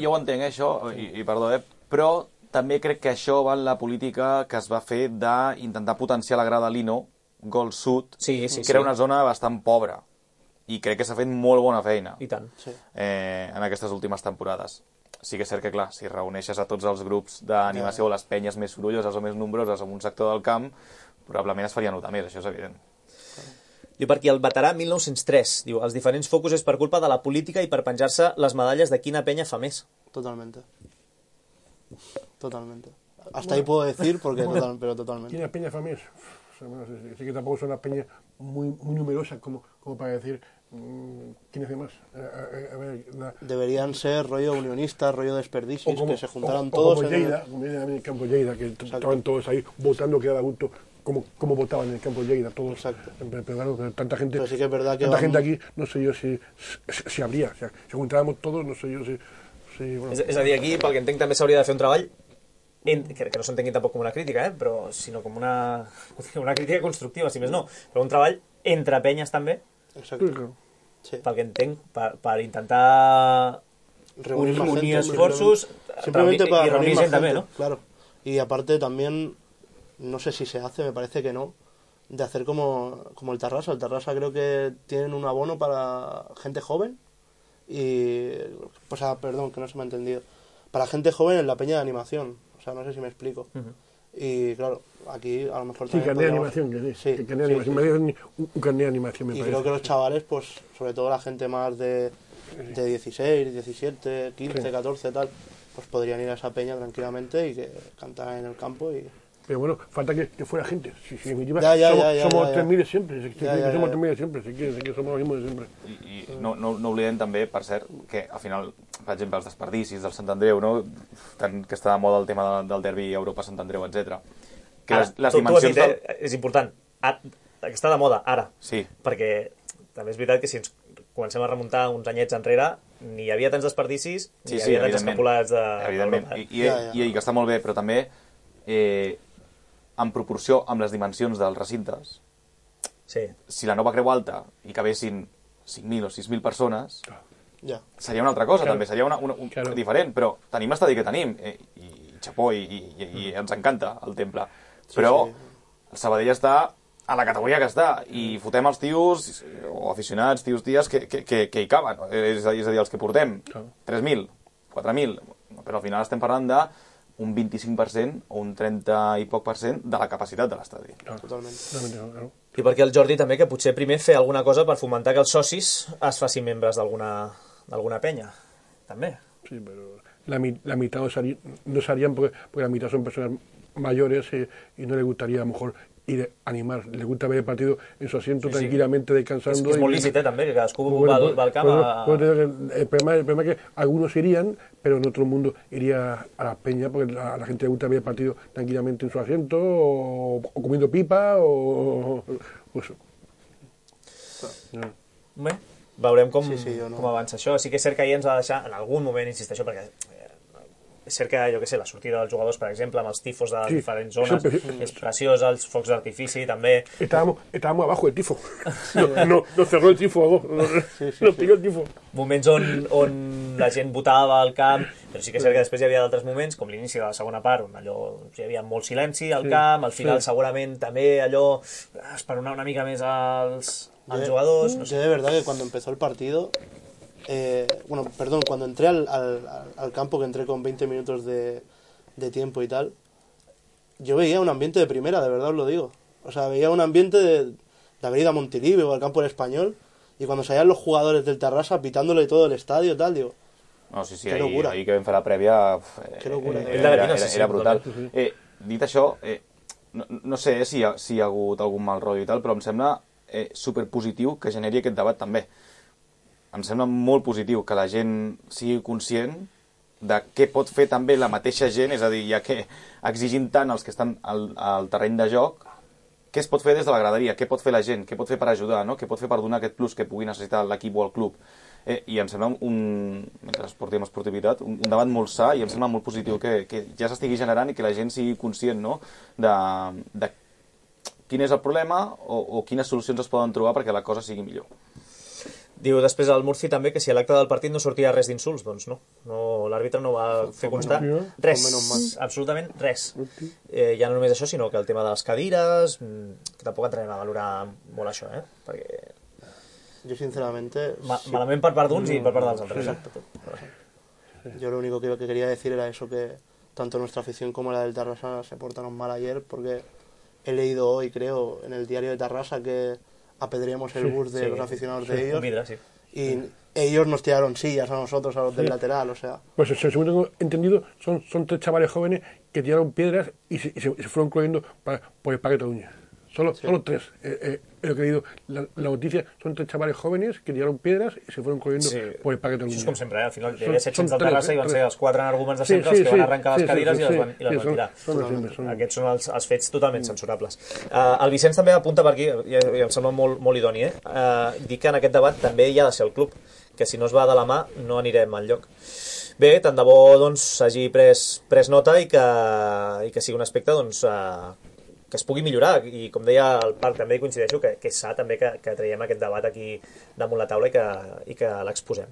Jo ho entenc, això, i perdó, però també crec que això va en la política que es va fer d'intentar potenciar la grada Lino, Gol Sud, que era una zona bastant pobra. I crec que s'ha fet molt bona feina. I tant. En aquestes últimes temporades. Sí que és cert que, clar, si reuneixes a tots els grups d'animació o les penyes més sorolloses o més nombroses en un sector del camp, probablement es faria notar més, això és evident. Diu per aquí, el veterà 1903, diu, els diferents focus és per culpa de la política i per penjar-se les medalles de quina penya fa més. Totalmente. Hasta ahí puedo decir, pero totalmente. ¿Quina penya fa més? Sí que tampoco son una peña muy numerosa como para decir quién hace más. Deberían ser rollo unionistas, rollo desperdicios, que se juntaran o todos. Como Lleida, como en el campo Lleida, que estaban todos ahí votando que daba gusto cómo votaban en el campo de Lleida, todos. Exacto. Pero claro, tanta gente, Pero sí que es verdad que tanta gente aquí, no sé yo si habría. O sea, si juntábamos todos, no sé yo si bueno. És a dir, aquí, pel que entenc, també s'hauria de fer un treball, que no s'entengui tampoc com una crítica, però sinó com una crítica constructiva, si més no, però un treball entre penyes també, Exacto. Sí. pel que entenc, per intentar unir esfuerzos simplemente para y reunir gente también, ¿no? Claro. Y aparte también, no sé si se hace, me parece que no, de hacer como el Tarrasa. El Tarrasa creo que tienen un abono para gente joven y, pues, perdón, que no se me ha entendido, para gente joven en la peña de animación. O sea, no sé si me explico. Y claro, aquí a lo mejor sí, carnet de animación, que sí. Sí, Carnet de animación. Me dio un carnet de animación, me y parece. creo que los chavales, pues, sobre todo la gente más de 16, 17, 15, sí. 14, tal, pues podrían ir a esa peña tranquilamente y que cantaran en el campo y... Pero bueno, falta que fuera gente. Si en definitiva somos 3.000 siempre. Somos 3.000 siempre, si quieres, que somos los mismos de siempre. I no oblidem també, per cert, que al final, per exemple, els desperdicis del Sant Andreu, no? Tant que està de moda el tema del derbi Europa-Sant Andreu, etc. Que les dimensions... Tu has dit, és important, que està de moda, ara. Sí. Perquè també és veritat que si ens comencem a remuntar uns anyets enrere, ni hi havia tants desperdicis, ni hi havia tants escapulats d'Europa. I que està molt bé, però també... en proporció amb les dimensions dels recintes, si la Nova Creu Alta hi cabessin 5.000 o 6.000 persones, seria una altra cosa, també, seria una diferent, però tenim l'estadi que tenim, i xapó, i ens encanta el temple, però el Sabadell està a la categoria que està, i fotem els tios, o aficionats, tios, que hi caben, és a dir, els que portem 3.000, 4.000, però al final estem parlant de un 25% o un 30 i poc % de la capacitat de l'estadi. Totalment. I perquè el Jordi també, que potser primer fer alguna cosa per fomentar que els socis es facin membres d'alguna penya, també. Sí, pero la mitad no serían porque la mitad son personas mayores y no les gustaría a lo mejor ir a animar, les gusta ver el partido en su asiento tranquilamente descansando. És molt lícit, també, que cadascú va al camp el problema es que algunos irían, pero en otro mundo iría a las peñas porque a la gente le gusta ver el partido tranquilamente en su asiento o comiendo pipa o eso. Bé, veurem com avança això. Sí que és cert que ahir ens ha de deixar, en algun moment, insisteixo, perquè és cert que, jo què sé, la sortida dels jugadors, per exemple, amb els tifos de les diferents zones, és preciós, els focs d'artifici, també... Estábamos abajo del tifo. No cerró el tifo, nos pilló el tifo. Moments on la gent votava al camp, però sí que és cert que després hi havia d'altres moments, com l'inici de la segona part, on allò hi havia molt silenci al camp, al final segurament també allò esperonar una mica més als jugadors... Yo de verdad que cuando empezó el partido... cuando entré al campo, que entré con 20 minutos de tiempo y tal, yo veía un ambiente de primera, de verdad os lo digo. O sea, veía un ambiente de haber ido a Montilivi o al campo del Español, y cuando salían los jugadores del Tarrasa pitándole todo el estadio, tal, digo... No, sí, ahir que vam fer la prèvia era brutal. Dit això, no sé si hi ha hagut algun mal rotllo i tal, però em sembla superpositiu que generi aquest debat també. Em sembla molt positiu que la gent sigui conscient de què pot fer també la mateixa gent, és a dir, ja que exigint tant els que estan al terreny de joc, què es pot fer des de la graderia, què pot fer la gent, què pot fer per ajudar, no? Què pot fer per donar aquest plus que pugui necessitar l'equip o el club. I em sembla, mentre portem esportivitat, un debat molt sa i em sembla molt positiu que ja s'estigui generant i que la gent sigui conscient, no?, de quin és el problema o quines solucions es poden trobar perquè la cosa sigui millor. Diu després al Murci també que si a l'acte del partit no sortia res d'insults, doncs no. L'àrbitre no va fer constar res, absolutament res. Ja no només això, sinó que el tema de les cadires, que tampoc entrarem a valorar molt això, perquè... Jo, sinceramente... Malament per part d'uns i per part dels altres. Yo lo único que quería decir era eso, que tanto nuestra afición como la del Tarrasa se portaron mal ayer, porque he leído hoy, creo, en el diario de Tarrasa que apedreamos el bus de los aficionados de ellos y ellos nos tiraron sillas a nosotros, a los del lateral, o sea... Pues según tengo entendido, son 3 chavales jóvenes que tiraron piedras y se fueron corriendo por el Parque Cataluña. Solo 3. Lo que he leído, la noticia, son 3 chavales jóvenes que tiraron piedras y se fueron corriendo por el parque del Això és Mundial. com sempre, al final hi havia 700 del Terrassa i van ser els 4 energúmens de sempre els que van arrencar les cadires i les van tirar. Aquests són els fets totalment censurables. El Vicenç també apunta per aquí, i em sembla molt idoni, dir que en aquest debat també hi ha de ser el club, que si no es va de la mà no anirem enlloc. Bé, tant de bo s'hagi pres nota i que sigui un aspecte que es pugui millorar, i com deia el Parc també hi coincideixo, que és sa també que traiem aquest debat aquí damunt la taula i que l'exposem.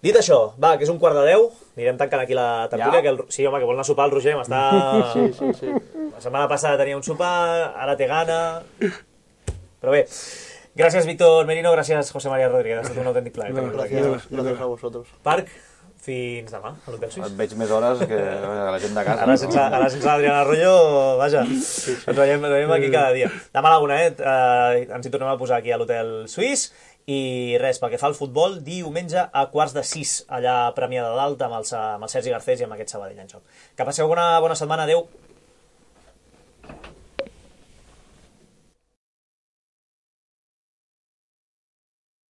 Dit això, va, que és 9:45, anirem tancant aquí la tertúlia. Sí, home, que vol anar a sopar el Roger, Sí. La setmana passada tenia un sopar, ara té gana. Però bé, gràcies Víctor Merino, gràcies José María Rodríguez, ha estat un autèntic plaer. Gracias a vosotros. Parc, fins demà, a l'Hotel Suís. Et veig més hores que la gent de casa. Ara sense l'Adriana Arroyo, vaja, ens veiem aquí cada dia. Demà a la 1, ens hi tornem a posar aquí a l'Hotel Suís. I res, pel que fa al futbol, diumenge a 5:45, allà a Premià de Dalt, amb el Sergi Garcés i amb aquest Sabadell en joc. Que passeu una bona setmana, adeu.